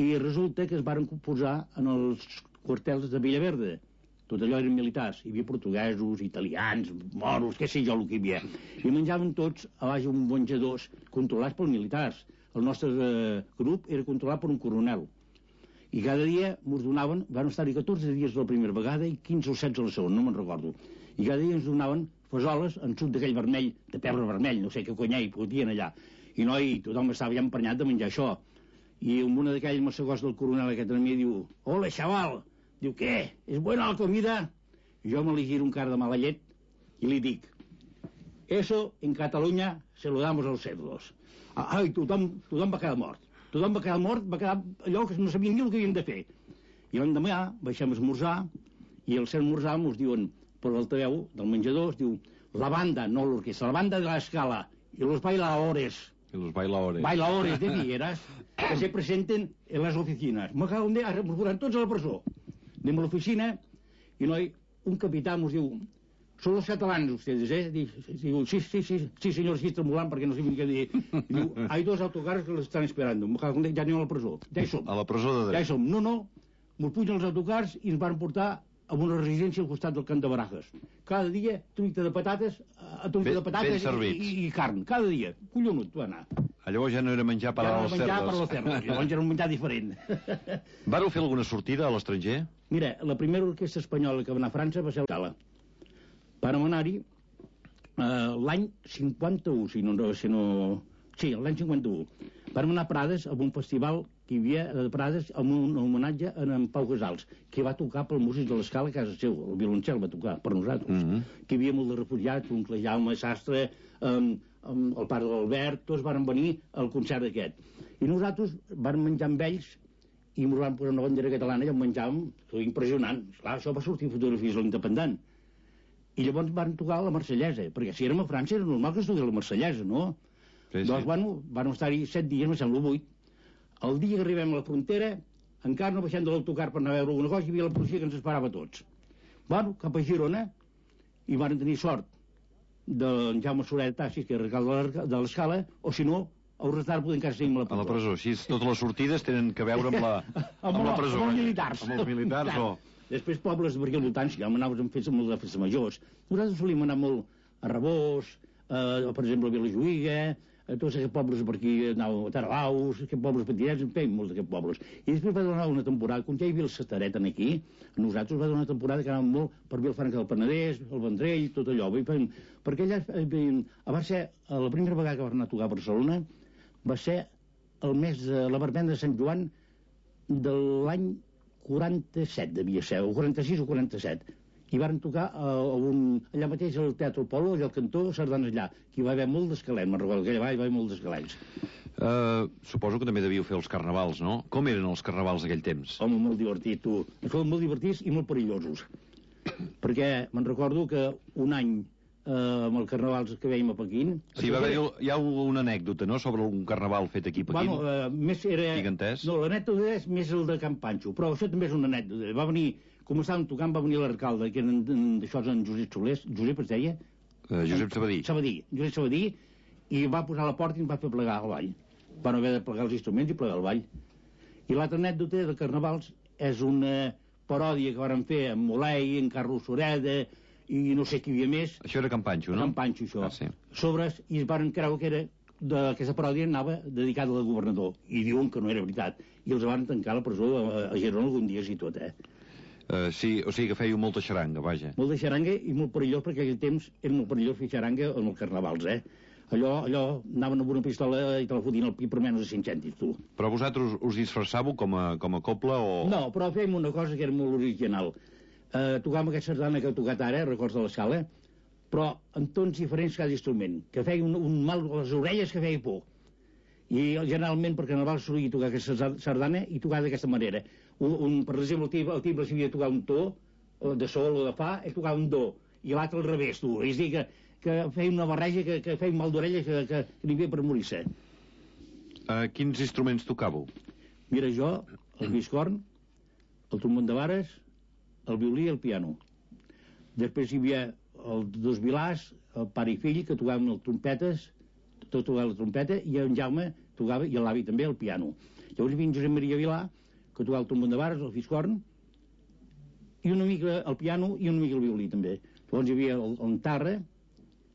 I resulta que es varen posar en els quartels de Villaverde. Tot allò eren militars. Hi havia portuguesos, italians, moros, què sé jo el que hi havia. I menjaven tots a baix uns menjadors controlats pels militars. El nostre grup era controlat per un coronel. I cada dia ens donaven, van estar-hi 14 dies la primera vegada i 15 o 16 la segona, no me'n recordo. I cada dia ens donaven fesoles en suc d'aquell vermell, de pebre vermell, no sé què conyà hi podien allà. I noi, tothom estava ja emprenyat de menjar això. I una d'aquells massegós del coronel aquest a mi diu: «Hola, xaval!» Diu: «Què? ¿Es buena la comida?» Jo me li giro un cara de mala llet i li dic: «Eso en Catalunya se lo damos a los cerdos». Ai, tothom va quedar mort. Tothom va quedar mort, va quedar allò que no sabien ni el que havien de fer. I l'endemà baixem a esmorzar, i al ser esmorzar ens diuen, per l'altaveu del menjador, es diu: «La banda, no l'orquestra, la banda de la escala, y los bailadores». Y los bailadores. Bailadores de Figueras, que se presenten en les oficines. Me cago en Déu, ara ens posaran tots a la presó. Anem a l'oficina, i noi, un capità ens diu: «Son los catalanes ustedes, eh?» Diu: sí, señor, sí, tremolant, perquè no sé què dir. Diu: «Hay dos autocars que los están esperando». Me cago en Déu, ja anem a la presó. Ja hi som. A la presó de dret. Ja hi som. No, ens pugen els autocars i ens van portar a una residència al costat del Camp de Barajas. Cada dia, truita de patates, i carn. Cada dia. Collonut, va anar. Llavors ja no era menjar per als cerdos. Llavors era un menjar diferent. Vareu fer alguna sortida a l'estranger? Mira, la primera orquestra espanyola que va anar a França va ser Cala. Vàrem anar-hi l'any 51, Sí, l'any 51. Vàrem anar a Prades a un festival que hi havia a Prades amb un homenatge a en Pau Casals, que va tocar pel músic de l'Escala a casa seu. El violoncel va tocar per nosaltres. Que hi havia molt de refugiats, un Jaume Sastre, el pare de l'Albert, tots van venir al concert aquest. I nosaltres vam menjar amb ells i ens van posar una bandera catalana i en menjàvem, impressionant. Clar, això va sortir fotografies a l'Independent. I llavors van tocar la Marsellesa, perquè si érem a França era normal que es toqués la Marsellesa, no? Sí. Doncs, van estar-hi 7 dies, me sembla 8. El dia que arribem a la frontera, encara no baixem de l'autocar per anar a veure alguna cosa, hi havia la policia que ens esperava tots. Bueno, cap a Girona, i van tenir sort d'en Jaume Soler Tassis, que era alcalde de l'Escala, o si no, a Urretar podem encara seguir a la presó. A la presó, així totes les sortides tenen que veure amb la presó. Amb els militars. Amb els militars, o... Després pobles per aquí al voltant, si ja anaves amb festes majors. Nosaltres solíem anar molt a Rebós, per exemple a Vilajuïga, a tots aquests pobles per aquí, anàvem a Taralaus, aquests pobles petitets, en fèiem molts d'aquests pobles. I després va donar una temporada, quan ja hi havia el Sataret aquí, nosaltres va donar una temporada que anàvem molt per Vilafranca del Penedès, el Vendrell, tot allò. Perquè allà va ser, la primera vegada que va anar a tocar a Barcelona, va ser el mes de la verbena de Sant Joan de l'any 47, devia ser, o 46 o 47. I varen tocar allà mateix al Teatre Polo, allà al cantó, sardanes allà, que hi va haver molt d'esquelets, me'n recordo que allà hi va haver molt d'esquelets. Suposo que també devíeu fer els carnavals, no? Com eren els carnavals d'aquell temps? Home, molt divertit, tu. Foren molt divertits i molt perillosos. Perquè me'n recordo que un any amb els carnavals que veiem a Pequín... Sí, hi ha una anècdota, no?, sobre un carnaval fet aquí a Pequín. Bueno, més era... Gigantès? No, l'anècdota és més el de Can Panxo, però això també és una anècdota. Va venir, com estàvem tocant, va venir l'alcalde, que eren d'això en Josep Solés, Josep es deia? Josep Sabadí. Josep Sabadí, i va posar a la porta i ens va fer plegar al ball. Van haver de plegar els instruments i plegar el ball. I l'altra anècdota de carnavals és una paròdia que varen fer amb Molei, en Carlos Sureda, i no sé qui hi havia més. Això era Can Panxo, no? Can Panxo, això. Sí. Sobres, i es van creure que era aquesta paròdia anava dedicada al governador, i diuen que no era veritat. I els van tancar a la presó a Girona algun dia, i tot, Sí, o sigui que fèieu molta xaranga, vaja. Molta xaranga i molt perillós, perquè aquell temps era molt perillós fer xaranga en els carnavals, Allò anaven amb una pistola i te la fotien al pit per menys de 5 cèntims, tu. Però vosaltres us disfressàveu com a cobla o...? No, però fèiem una cosa que era molt original. Tocàvem aquesta sardana que he tocat ara, Records de l'Escala, però en tons diferents cada instrument, que feia un mal a les orelles que feia por. I generalment per carnaval solia tocar aquesta sardana i tocar d'aquesta manera. Per exemple, el timbre s'havia de tocar un to, de sol o de fa, ell tocava un do, i l'altre al revés, tu. És a dir, que feia una barreja que feia un mal d'orelles que n'hi havia per morir-se. Quins instruments tocàveu? Mira, jo, el biscorn, el trombon de vares, el violí i el piano. Després hi havia els dos vilars, el pare i fill, que tocaven les trompetes, tot tocava la trompeta, i en Jaume tocava, i l'avi també, el piano. Llavors hi havia en Josep Maria Vilà, que tocava el trombon de vares, el fiscorn, i una mica el piano i una mica el violí, també. Llavors hi havia en Tarra,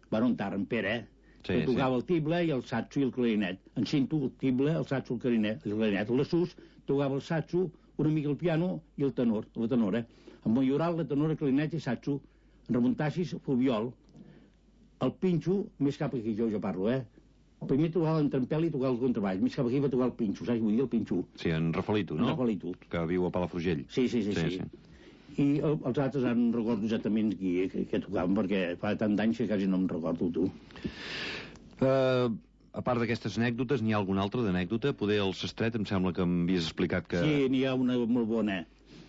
en Pere, que tocava el tible i el satso i el clarinet. En Cinto, el tible, el satso, el clarinet. La Sus tocava el satso, una mica el piano i el tenor, la tenora. En Mayoral, la tenora, el clarinet i satso. En Ramon Tassis, fluviol. El pinxo, més cap aquí jo parlo, Primer tocava en Trampel i tocava el contrabaix, més cap aquí va tocar el pinxo, saps què vull dir, el pinxo? Sí, en Rafelito, no? En Rafelito. Que viu a Palafrugell. Sí. I els altres no recordo exactament què tocaven, perquè fa tant d'anys que quasi no em recordo, tu. A part d'aquestes anècdotes, n'hi ha alguna altra d'anècdota? Poder el Sestret, em sembla que m'havies explicat que... Sí, n'hi ha una molt bona.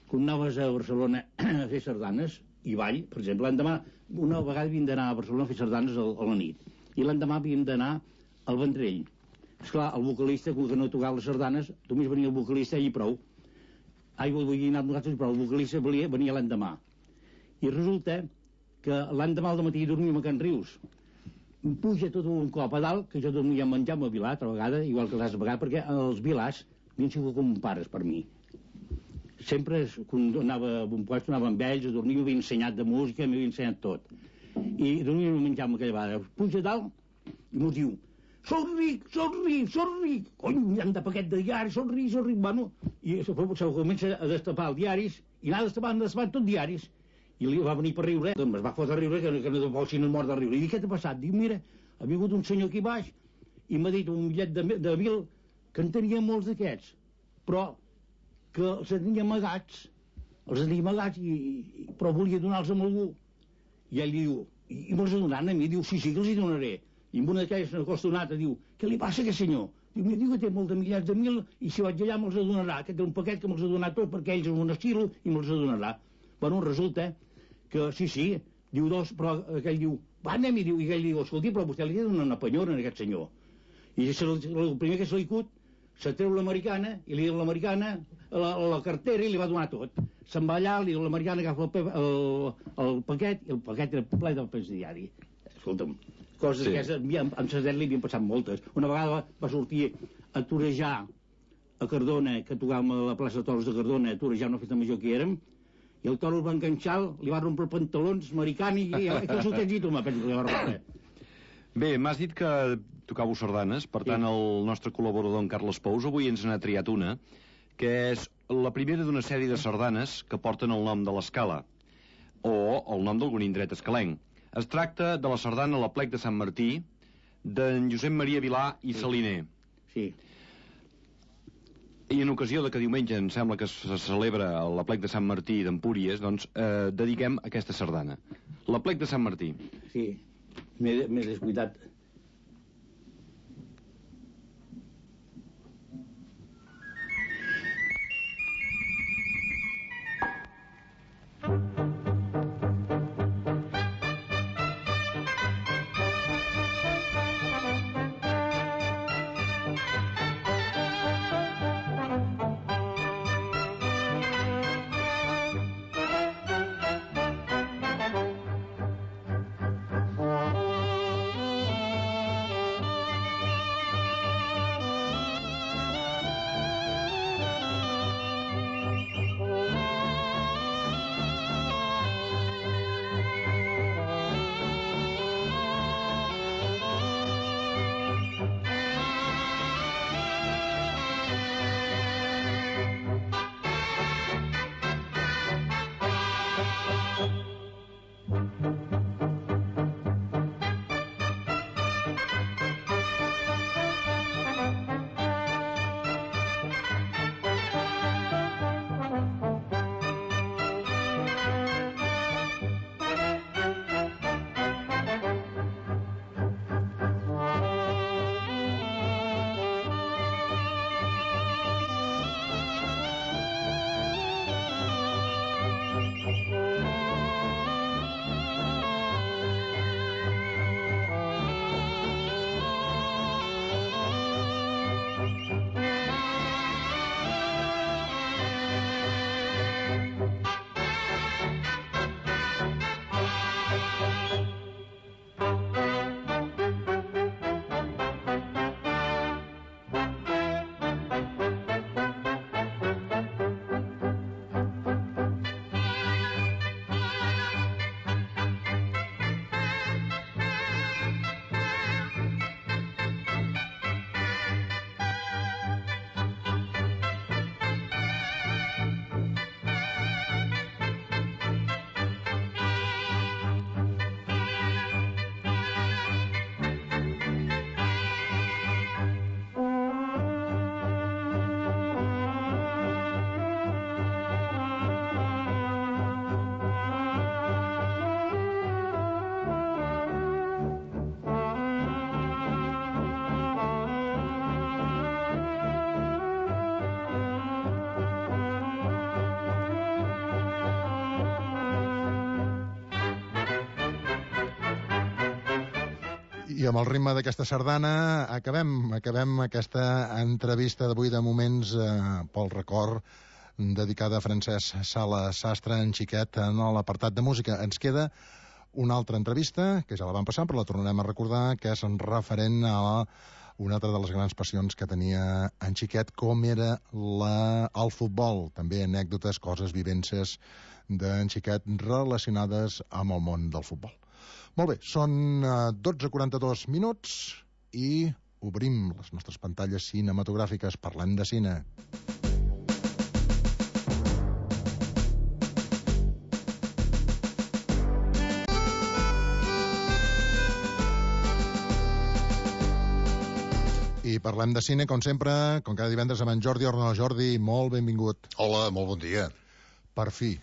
Quan anaves a Barcelona a fer sardanes, i ball, per exemple, l'endemà, una vegada havíem d'anar a Barcelona a fer sardanes a la nit, i l'endemà havíem d'anar al Vendrell. Esclar, el vocalista, que no tocava les sardanes, només venia el vocalista i prou. Vull dir, nosaltres, però el vocalista venia l'endemà. I resulta que l'endemà al matí dormíem a Can Rius. Em puja tot un cop a dalt, que jo dormia a menjar amb el Vilà, altra vegada, igual que l'altra vegada, perquè els Vilàs havien sigut com pares per mi. Sempre, quan anava a un lloc, anava amb ells, a dormir, m'havia ensenyat de música, m'havia ensenyat tot. I dormíem a menjar amb aquella vegada. Puja a dalt i m'ho diu: Soc ric! Cony, han de paquet de diaris, soc ric. Bueno, i se comença a destapar els diaris, i anar destapant tot diaris. I li va venir per riure, doncs es va fotre a riure, que no fos sinó mort de riure. I dic, què t'ha passat? Diu, mira, ha vingut un senyor aquí baix, i m'ha dit un bitllet de 1.000, que en tenia molts d'aquests, però que els tenia amagats, però volia donar-los a algú. I ell diu, i me'ls donaran a mi? Diu, sí, que els hi donaré. I amb una d'aquelles acostonata diu: què li passa a aquest senyor? Diu que té molt de milers de mil i si vaig allà me'ls donarà, que té un paquet que me'ls ha donat tot perquè ells són un estilo i me'ls donarà. Bueno, resulta que sí, diu dos, però aquell diu: va, anem-hi, diu, i aquell diu: escolti, però vostè li ha de donar una penyora a aquest senyor. I el primer que se li cut, se treu l'americana i li diu l'americana la cartera i li va donar tot. Se'n va allà, li diu l'americana, agafa el paquet, i el paquet era ple del pes diari. Escolta'm, coses que amb Sesdet li havien passat moltes. Una vegada va sortir a torejar a Cardona, que tocàvem a la plaça de Toros de Cardona, a torejar una festa major que érem, i el toro el va enganxar, li va rompre els pantalons americani i que s'ho tens dit, home, penso que li va rompre. Bé, m'has dit que tocàveu sardanes, per tant el nostre col·laborador en Carles Pous avui ens n'ha triat una, que és la primera d'una sèrie de sardanes que porten el nom de l'Escala, o el nom d'algun indret escalenc. Es tracta de la sardana a l'Aplec de Sant Martí, d'en Josep Maria Vilà i Saliner. Sí. I en ocasió de que diumenge em sembla que se celebra l'Aplec de Sant Martí d'Empúries, doncs dediquem aquesta sardana. L'Aplec de Sant Martí. Sí, m'he descuidat. I amb el ritme d'aquesta sardana acabem aquesta entrevista d'avui de moments pel record dedicada a Francesc Sala Sastre, en xiquet, en l'apartat de música. Ens queda una altra entrevista, que ja la vam passar, però la tornarem a recordar, que és referent a una altra de les grans passions que tenia en xiquet, com era el futbol. També anècdotes, coses, vivències d'en xiquet relacionades amb el món del futbol. Molt bé, són 12:42 minuts i obrim les nostres pantalles cinematogràfiques. Parlem de cine. I parlem de cine, com sempre, com cada divendres, amb en Jordi Orno. Jordi, molt benvingut. Hola, molt bon dia. Per fi,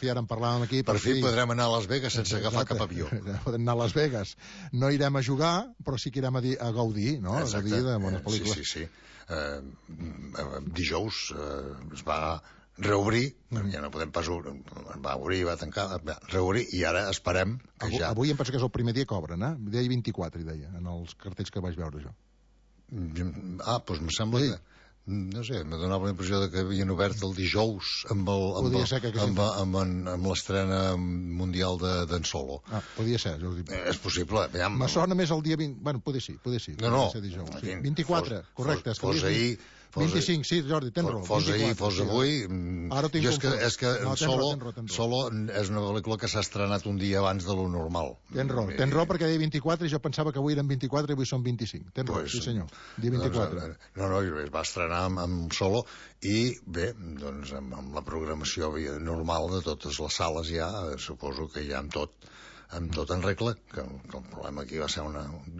ara en parlàvem aquí. Per fi podrem anar a Las Vegas sense agafar cap avió. Podem anar a Las Vegas. No irem a jugar, però sí que irem a gaudir, no? Exacte. A gaudir de bones pel·lícules. Sí. Dijous es va reobrir, ja no podem pas va obrir, va tancar, reobrir, i ara esperem que Avui em penso que és el primer dia que obren, Deia 24, hi deia, en els cartells que vaig veure jo. Doncs em sembla que... No sé, m'ha donat la impressió que havien obert el dijous amb l'estrena mundial d'en Solo. Podia ser, Jordi. És possible. Me sona més el dia 20... Bueno, poder ser. No. 24, correcte. Fos ahir... 25, sí, Jordi, tens raó. Fos ahir, fos avui... Ara tinc és que Solo és una pel·lícula que s'ha estrenat un dia abans de lo normal. Tens raó perquè deia 24 i jo pensava que avui eren 24 i avui són 25. Tens raó, sí senyor, dia 24. No, es va estrenar amb Solo i bé, doncs amb la programació normal de totes les sales ja, suposo que ja amb tot en regla, que el problema aquí va ser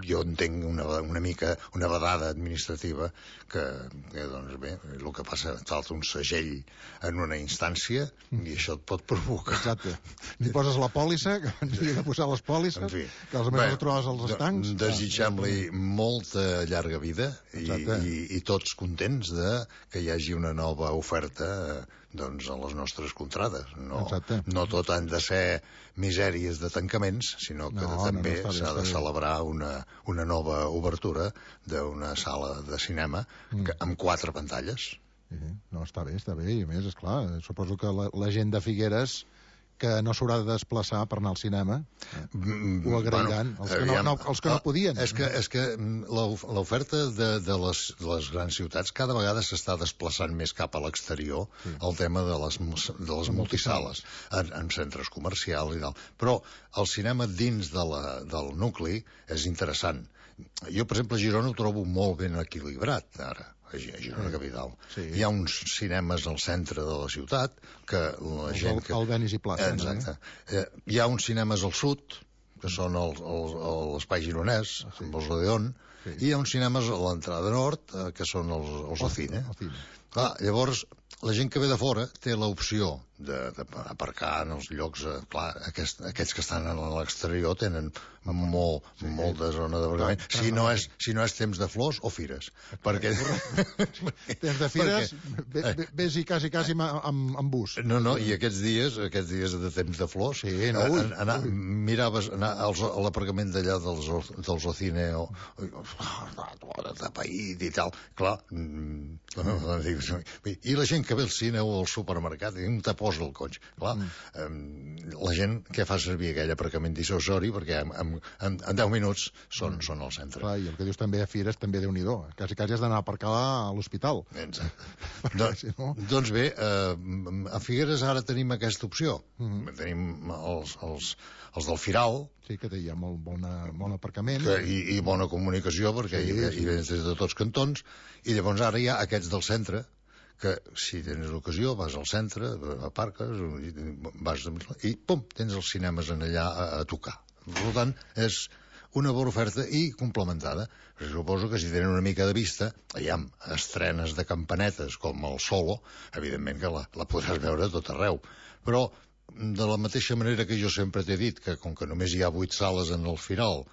jo entenc una mica una vedada administrativa que doncs bé, el que passa falta un segell en una instància i això et pot provocar. Exacte. Ni poses la pòlissa, que ens havia de posar les pòlisses, que els meus trobes als estancs. Desitgem-li molta llarga vida i tots contents que hi hagi una nova oferta doncs a les nostres contrades. No tot han de ser misèries de tancaments, sinó que també s'ha de celebrar una nova obertura d'una sala de cinema amb 4 pantalles. No, està bé, i a més, esclar, suposo que la gent de Figueres que no s'haurà de desplaçar per anar al cinema ho agrairan, els que no podien. És que l'oferta de les grans ciutats cada vegada s'està desplaçant més cap a l'exterior, el tema de les multisales en centres comercials i tal, però el cinema dins del nucli és interessant. Jo, per exemple, a Girona ho trobo molt ben equilibrat ara, a Girona capital. Hi ha uns cinemes al centre de la ciutat que la gent... El Benis i Plaça. Exacte. Hi ha uns cinemes al sud, que són l'Espai Gironès, amb els Odeon, i hi ha uns cinemes a l'entrada nord, que són els Ocine. Clar, llavors, la gent que ve de fora té l'opció d'aparcar en els llocs... Clar, aquests que estan a l'exterior tenen molta zona d'aparcament. Si no és temps de flors o fires. Perquè... Temps de fires, ves i quasi amb bus. No, i aquests dies de temps de flors, miraves a l'aparcament d'allà dels Ocine de paït i tal. Clar, i la gent que ve al cine o al supermercat on te posa el cotxe. Clar, la gent que fa servir aquell aparcament dissuasori perquè en 10 minuts són al centre. Clar, i el que dius també a Fires també Déu-n'hi-do. Quasi has d'anar a aparcar a l'hospital. Doncs bé, a Figueres ara tenim aquesta opció. Tenim els del Firal. Sí, que hi ha molt bon aparcament. I bona comunicació, perquè hi vens des de tots cantons. I llavors ara hi ha aquests del centre, que si tens l'ocasió vas al centre, aparques i pum, tens els cinemes allà a tocar. Per tant, és una bona oferta i complementada. Suposo que si tenen una mica de vista, hi ha estrenes de campanetes com el Solo, evidentment que la podràs veure a tot arreu. Però de la mateixa manera que jo sempre t'he dit que com que només hi ha 8 sales en el Firal,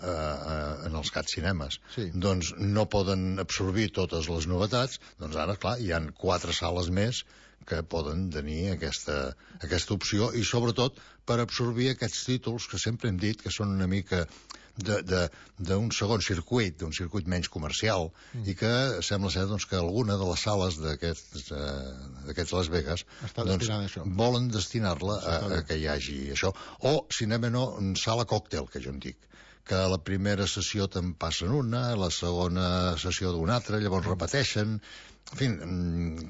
en els CAT Cinemes, doncs no poden absorbir totes les novetats, doncs ara, clar, hi han 4 sales més que poden tenir aquesta opció i sobretot per absorbir aquests títols que sempre hem dit que són una mica d'un segon circuit, d'un circuit menys comercial, i que sembla ser doncs, que alguna de les sales d'aquests Las Vegas volen destinar-la a que hi hagi això. O cinema sala còctel, que jo en dic, que la primera sessió te'n passen una, la segona sessió d'una altra, llavors repeteixen. En fi,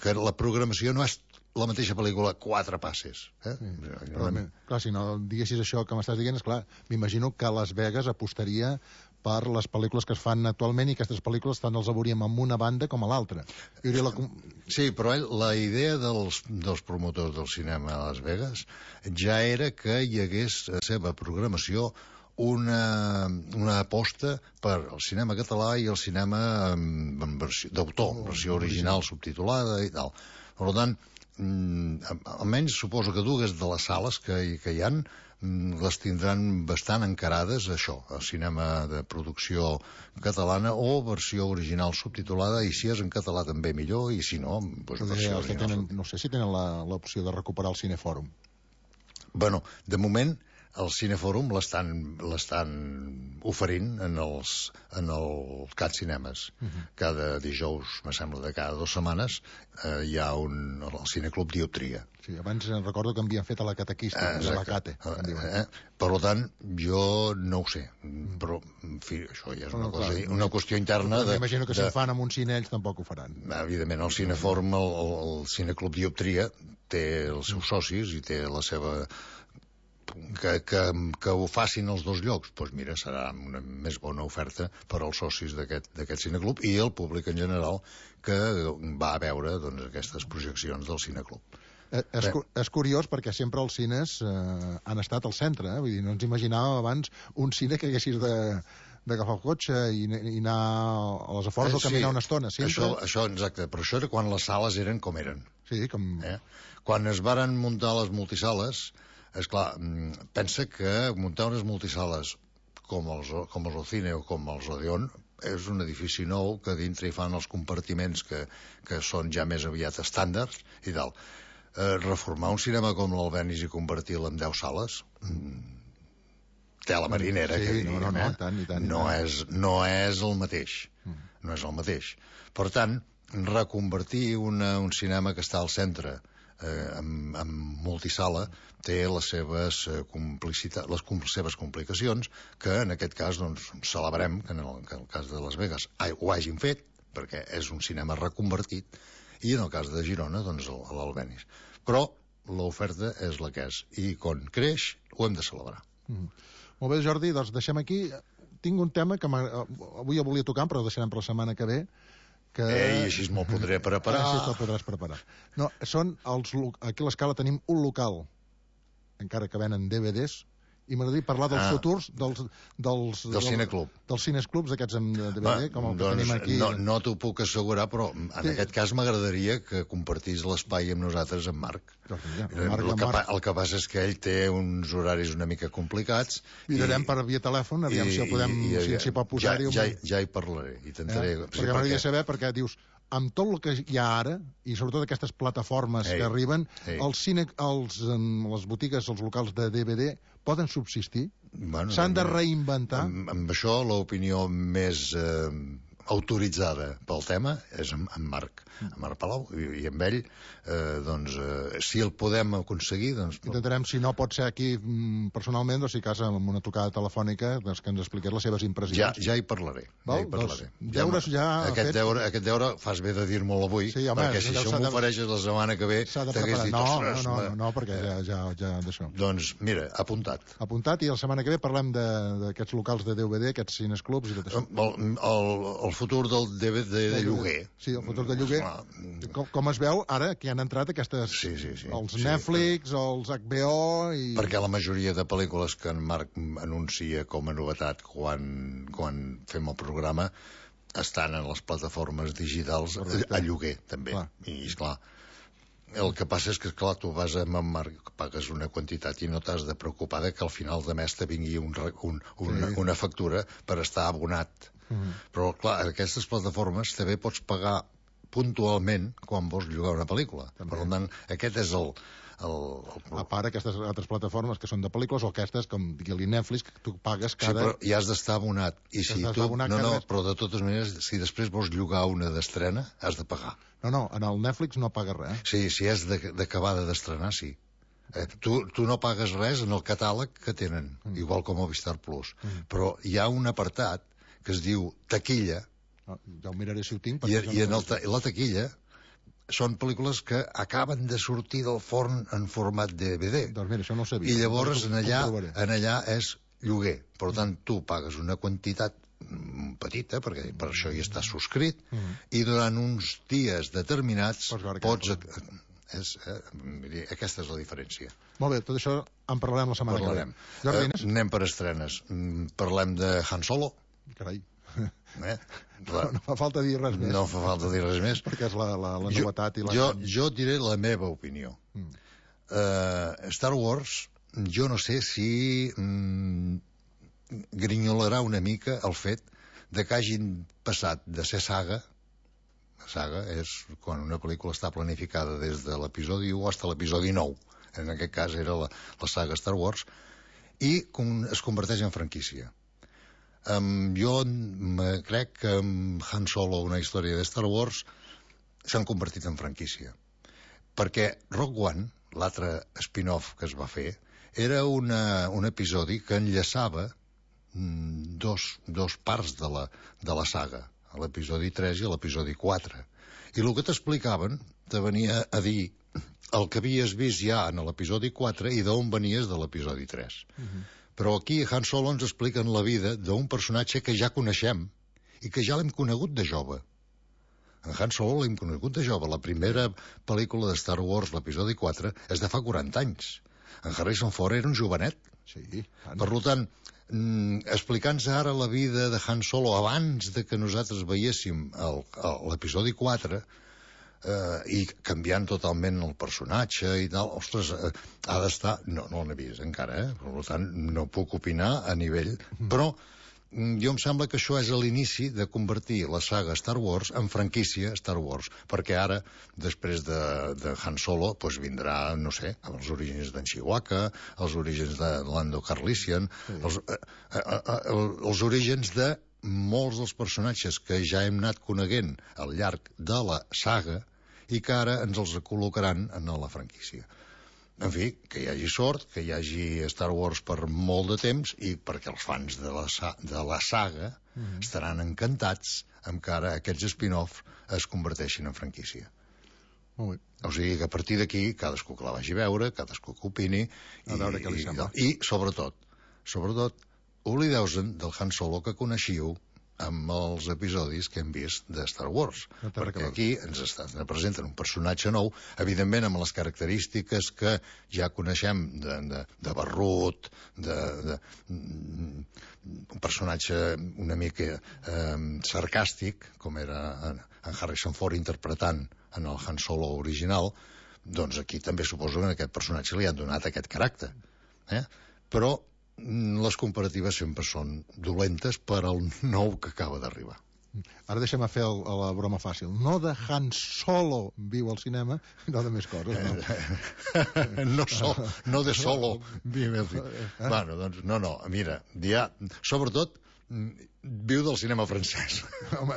que la programació no és la mateixa pel·lícula 4 passes. Però, clar, si no diguessis això que m'estàs dient, esclar, m'imagino que Las Vegas apostaria per les pel·lícules que es fan actualment i aquestes pel·lícules tant els veuríem amb una banda com a l'altra. Sí, però la idea dels promotors del cinema a Las Vegas ja era que hi hagués a la seva programació una aposta per al cinema català i el cinema d'autor, versió original subtitulada i tal. Per tant, almenys suposo que dues de les sales que hi han les tindran bastant encarades a això, al cinema de producció catalana o versió original subtitulada, i si és en català també millor, i si no, doncs versió original. No sé si tenen l'opció de recuperar el Cinefòrum. Bueno, de moment el Cinefòrum l'estan oferint en el CAT Cinemes. Cada dijous, me sembla, de cada 2 setmanes hi ha el Cineclub Dioptria. Sí, abans recordo que havien fet a la catequista, a la Cate. Per tant, jo no ho sé, però en fi, això ja és una qüestió interna. M'imagino que si ho fan amb un cine ells tampoc ho faran. Evidentment, el Cinefòrum, el Cineclub Dioptria té els seus socis i té la seva... que ho facin els dos llocs, doncs mira, serà una més bona oferta per als socis d'aquest cineclub i el públic en general que va a veure aquestes projeccions del cineclub. És curiós perquè sempre els cines han estat al centre, vull dir, no ens imaginàvem abans un cine que haguessis d'agafar el cotxe i anar a les afores o caminar una estona. Això, exacte, però això era quan les sales eren com eren. Sí, com... Quan es varen muntar les multisales, esclar, pensa que muntar unes multisales com els Ocine o com els Odeon és un edifici nou que dintre hi fan els compartiments que són ja més aviat estàndards i tal. Reformar un cinema com l'Albenis i convertir-lo en 10 sales, tela marinera, que diríem, no és el mateix. No és el mateix. Per tant, reconvertir un cinema que està al centre en multisala té les seves complicacions, que en aquest cas celebrem que en el cas de Las Vegas ho hagin fet, perquè és un cinema reconvertit, i en el cas de Girona l'Albenis. Però l'oferta és la que és, i quan creix ho hem de celebrar. Molt bé, Jordi, doncs deixem aquí. Tinc un tema que avui volia tocar, però ho deixarem per la setmana que ve. I així me'l podré preparar. Així te'l podràs preparar. No, aquí a l'Escala tenim un local, encara que venen DVDs, i m'agradaria parlar dels futurs dels cineclub. Dels cinesclubs aquests amb DVD, com el que tenim aquí. No t'ho puc assegurar, però en aquest cas m'agradaria que compartís l'espai amb nosaltres amb Marc. El que passa és que ell té uns horaris una mica complicats. Mirarem per via telèfon, aviam si s'hi pot posar-hi. Ja hi parlaré. Perquè m'agradaria saber, perquè dius, amb tot el que hi ha ara, i sobretot aquestes plataformes que arriben, les botigues, els locals de DVD, poden subsistir? S'han de reinventar? Amb això, l'opinió més autoritzada pel tema és en Marc Palau, i amb ell si el podem aconseguir intentarem, si no pot ser aquí personalment, si cas amb una trucada telefònica que ens expliqués les seves impressions. Ja hi parlaré. Aquest deure fas bé de dir-me'l avui, perquè si això m'ofereixes la setmana que ve t'hagués dit no, perquè ja d'això. Doncs mira, apuntat, i la setmana que ve parlem d'aquests locals de DVD, aquests cinesclubs i tot això. El futur del DVD de lloguer. Sí, el futur de lloguer. Com es veu ara que han entrat aquestes... Els Netflix, els HBO... Perquè la majoria de pel·lícules que en Marc anuncia com a novetat quan fem el programa estan en les plataformes digitals a lloguer, també. I, esclar, el que passa és que, clar, tu vas amb en Marc, pagues una quantitat i no t'has de preocupar que al final de mes te vingui una factura per estar abonat. Però, clar, en aquestes plataformes també pots pagar puntualment quan vols llogar una pel·lícula. També. Per tant, aquest és el A part, aquestes altres plataformes que són de pel·lícules, o aquestes, com digui Netflix, que tu pagues Sí, cada... però hi has d'estar abonat. I si tu... No, però de totes maneres, si després vols llogar una d'estrena, has de pagar. No, en el Netflix no pagues res. Sí, si és d'acabada d'estrenar, sí. Tu no pagues res en el catàleg que tenen, igual com a Movistar Plus. Però hi ha un apartat que es diu taquilla. Ja ho miraré si ho tinc. I en la taquilla són pel·lícules que acaben de sortir del forn en format DVD. Doncs mira, això no ho sabia. I llavors en allà és lloguer. Per tant, tu pagues una quantitat petita, perquè per això hi està subscrit, i durant uns dies determinats pots... Aquesta és la diferència. Molt bé, tot això en parlarem la setmana que ve. Anem per estrenes. Parlem de Han Solo. Carai. No fa falta dir res més. No fa falta dir res més. Perquè és la novetat. Jo diré la meva opinió. Star Wars, jo no sé si grinyolarà una mica el fet de que hagin passat de ser saga és quan una pel·lícula està planificada des de l'episodi 1 fins a l'episodi 9. En aquest cas era la saga Star Wars, i es converteix en franquícia. Jo crec que amb Han Solo, una història de Star Wars, s'han convertit en franquícia. Perquè Rogue One, l'altre spin-off que es va fer, era un episodi que enllaçava dos parts de la saga, a l'episodi 3 i a l'episodi 4. I el que t'explicaven te venia a dir el que havies vist ja en l'episodi 4 i d'on venies de l'episodi 3. Però aquí a Han Solo ens expliquen la vida d'un personatge que ja coneixem i que ja l'hem conegut de jove. En Han Solo l'hem conegut de jove. La primera pel·lícula de Star Wars, l'episodi 4, és de fa 40 anys. En Harrison Ford era un jovenet. Sí. Per tant, explicant-se ara la vida de Han Solo abans de que nosaltres veiéssim l'episodi 4, i canviant totalment el personatge i tal, ostres, ha d'estar... No l'he vist encara, per tant no puc opinar a nivell... Però jo em sembla que això és l'inici de convertir la saga Star Wars en franquícia Star Wars, perquè ara, després de Han Solo, doncs vindrà, no sé, els orígens d'en Chewbacca, els orígens de Lando Calrissian, els orígens de molts dels personatges que ja hem anat coneguent al llarg de la saga i que ara ens els col·locaran en la franquícia. En fi, que hi hagi sort, que hi hagi Star Wars per molt de temps i perquè els fans de la saga estaran encantats amb que ara aquests spin-offs es converteixin en franquícia. Molt bé. O sigui que a partir d'aquí cadascú que la vagi a veure, cadascú que opini i sobretot oblideu-se'n del Han Solo que coneixiu amb els episodis que hem vist de Star Wars, perquè aquí ens presenten un personatge nou, evidentment amb les característiques que ja coneixem de barrut, un personatge una mica sarcàstic, com era en Harrison Ford interpretant en el Han Solo original. Doncs aquí també suposo que a aquest personatge li han donat aquest caràcter. Però les comparatives sempre són dolentes per al nou que acaba d'arribar. Ara deixem fer la broma fàcil. No de Han Solo viu al cinema, no de més coses, no. No de Solo viu al cinema. Bueno, doncs, no, mira, sobretot viu del cinema francès. Home,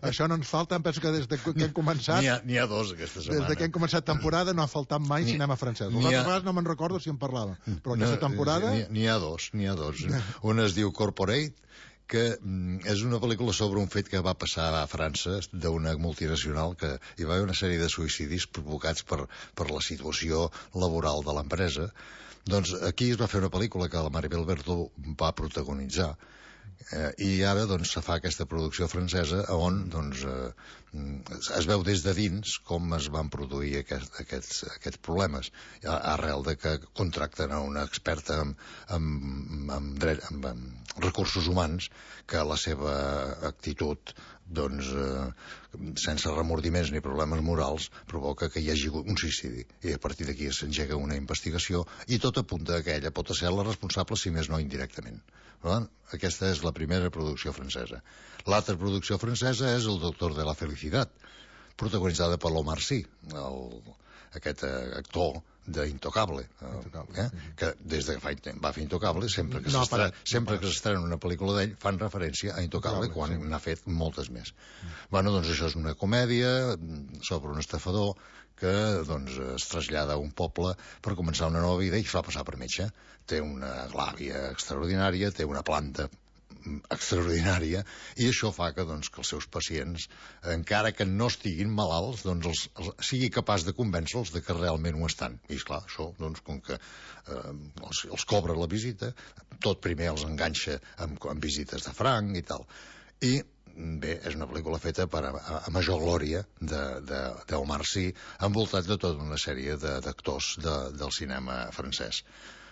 això no ens falta, em penso que des que hem començat... N'hi ha dos aquesta setmana. Des que hem començat temporada no ha faltat mai cinema francès. Les altres vegades no me'n recordo si en parlava, però aquesta temporada... N'hi ha dos. Un es diu Corporate, que és una pel·lícula sobre un fet que va passar a França d'una multinacional que hi va haver una sèrie de suïcidis provocats per la situació laboral de l'empresa. Doncs aquí es va fer una pel·lícula que la Maribel Verdú va protagonitzar, i ara doncs se fa aquesta producció francesa on doncs es veu des de dins com es van produir aquests problemes, arrel de que contracten a una experta en recursos humans que la seva actitud doncs sense remordiments ni problemes morals provoca que hi hagi un suïcidi, i a partir d'aquí s'engega una investigació i tot apunta que ella pot ser la responsable, si més no indirectament. Aquesta és la primera producció francesa. L'altra producció francesa és El doctor de la felicitat, protagonitzada per l'Omar Sy, aquest actor d'Intocable, que des de que va fer Intocable, sempre que s'estrena una pel·lícula d'ell, fan referència a Intocable, quan n'ha fet moltes més. Bueno, doncs això és una comèdia sobre un estafador que es trasllada a un poble per començar una nova vida i fa passar per metge. Té una glàbia extraordinària, té una planta extraordinària, i això fa que els seus pacients, encara que no estiguin malalts, sigui capaç de convèncer-los de que realment ho estan. I esclar, això, com que els cobra la visita, tot primer els enganxa amb visites de franc i tal. I bé, és una pel·lícula feta a major glòria d'Omar Sy, envoltat de tota una sèrie d'actors del cinema francès.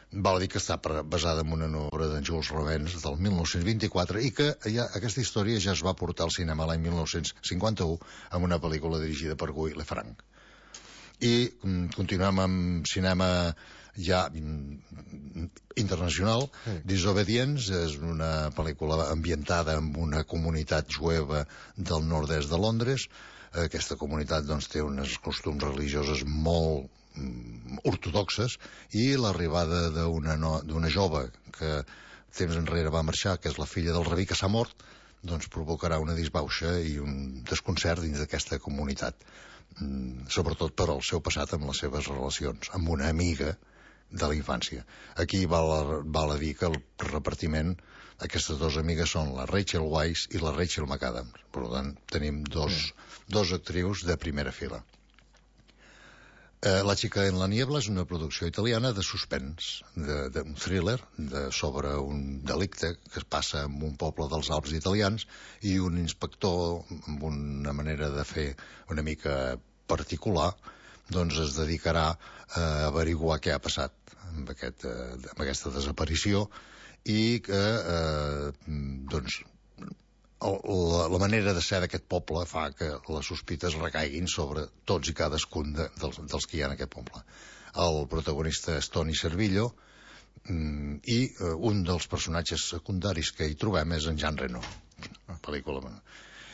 Val a dir que està basada en una obra d'en Jules Revens del 1924 i que aquesta història ja es va portar al cinema l'any 1951 amb una pel·lícula dirigida per Guy Lefranc. I continuem amb cinema ja internacional. Disobedience és una pel·lícula ambientada en una comunitat jueva del nord-est de Londres. Aquesta comunitat té uns costums religiosos molt ortodoxes, i l'arribada d'una jove que temps enrere va marxar, que és la filla del rabí que s'ha mort, provocarà una disbauxa i un desconcert dins d'aquesta comunitat, sobretot per al seu passat amb les seves relacions amb una amiga de la infància. Aquí val a dir que el repartiment, aquestes dues amigues són la Rachel Weisz i la Rachel McAdams. Per tant, tenim dos actrius de primera fila. La chica en la niebla és una producció italiana de suspens, d'un thriller sobre un delicte que es passa en un poble dels Alps italians, i un inspector amb una manera de fer una mica particular es dedicarà a averiguar què ha passat amb aquesta desaparició, i que la manera de ser d'aquest poble fa que les sospites recaiguin sobre tots i cadascun dels que hi ha en aquest poble. El protagonista és Tony Servillo, i un dels personatges secundaris que hi trobem és en Jean Reno.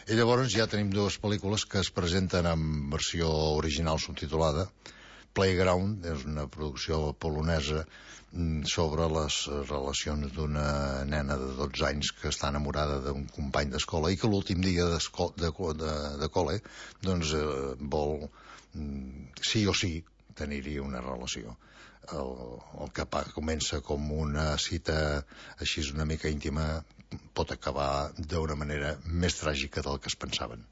I llavors ja tenim dues pel·lícules que es presenten en versió original subtitulada. Playground és una producció polonesa sobre les relacions d'una nena de 12 anys que està enamorada d'un company d'escola i que l'últim dia de col·le vol sí o sí tenir-hi una relació. El que comença com una cita així una mica íntima pot acabar d'una manera més tràgica del que es pensaven.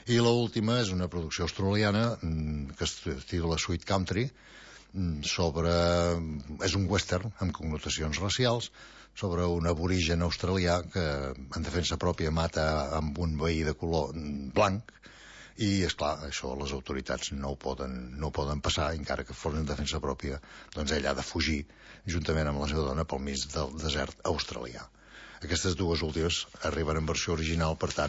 I l'última és una producció australiana que es titula Sweet Country, és un western amb connotacions racials sobre un aborigen australià que en defensa pròpia mata amb un veí de color blanc, i esclar, això les autoritats no ho poden passar, encara que fos en defensa pròpia, ell ha de fugir juntament amb la seva dona pel mig del desert australià. Aquestes dues últimes arriben en versió original, per tant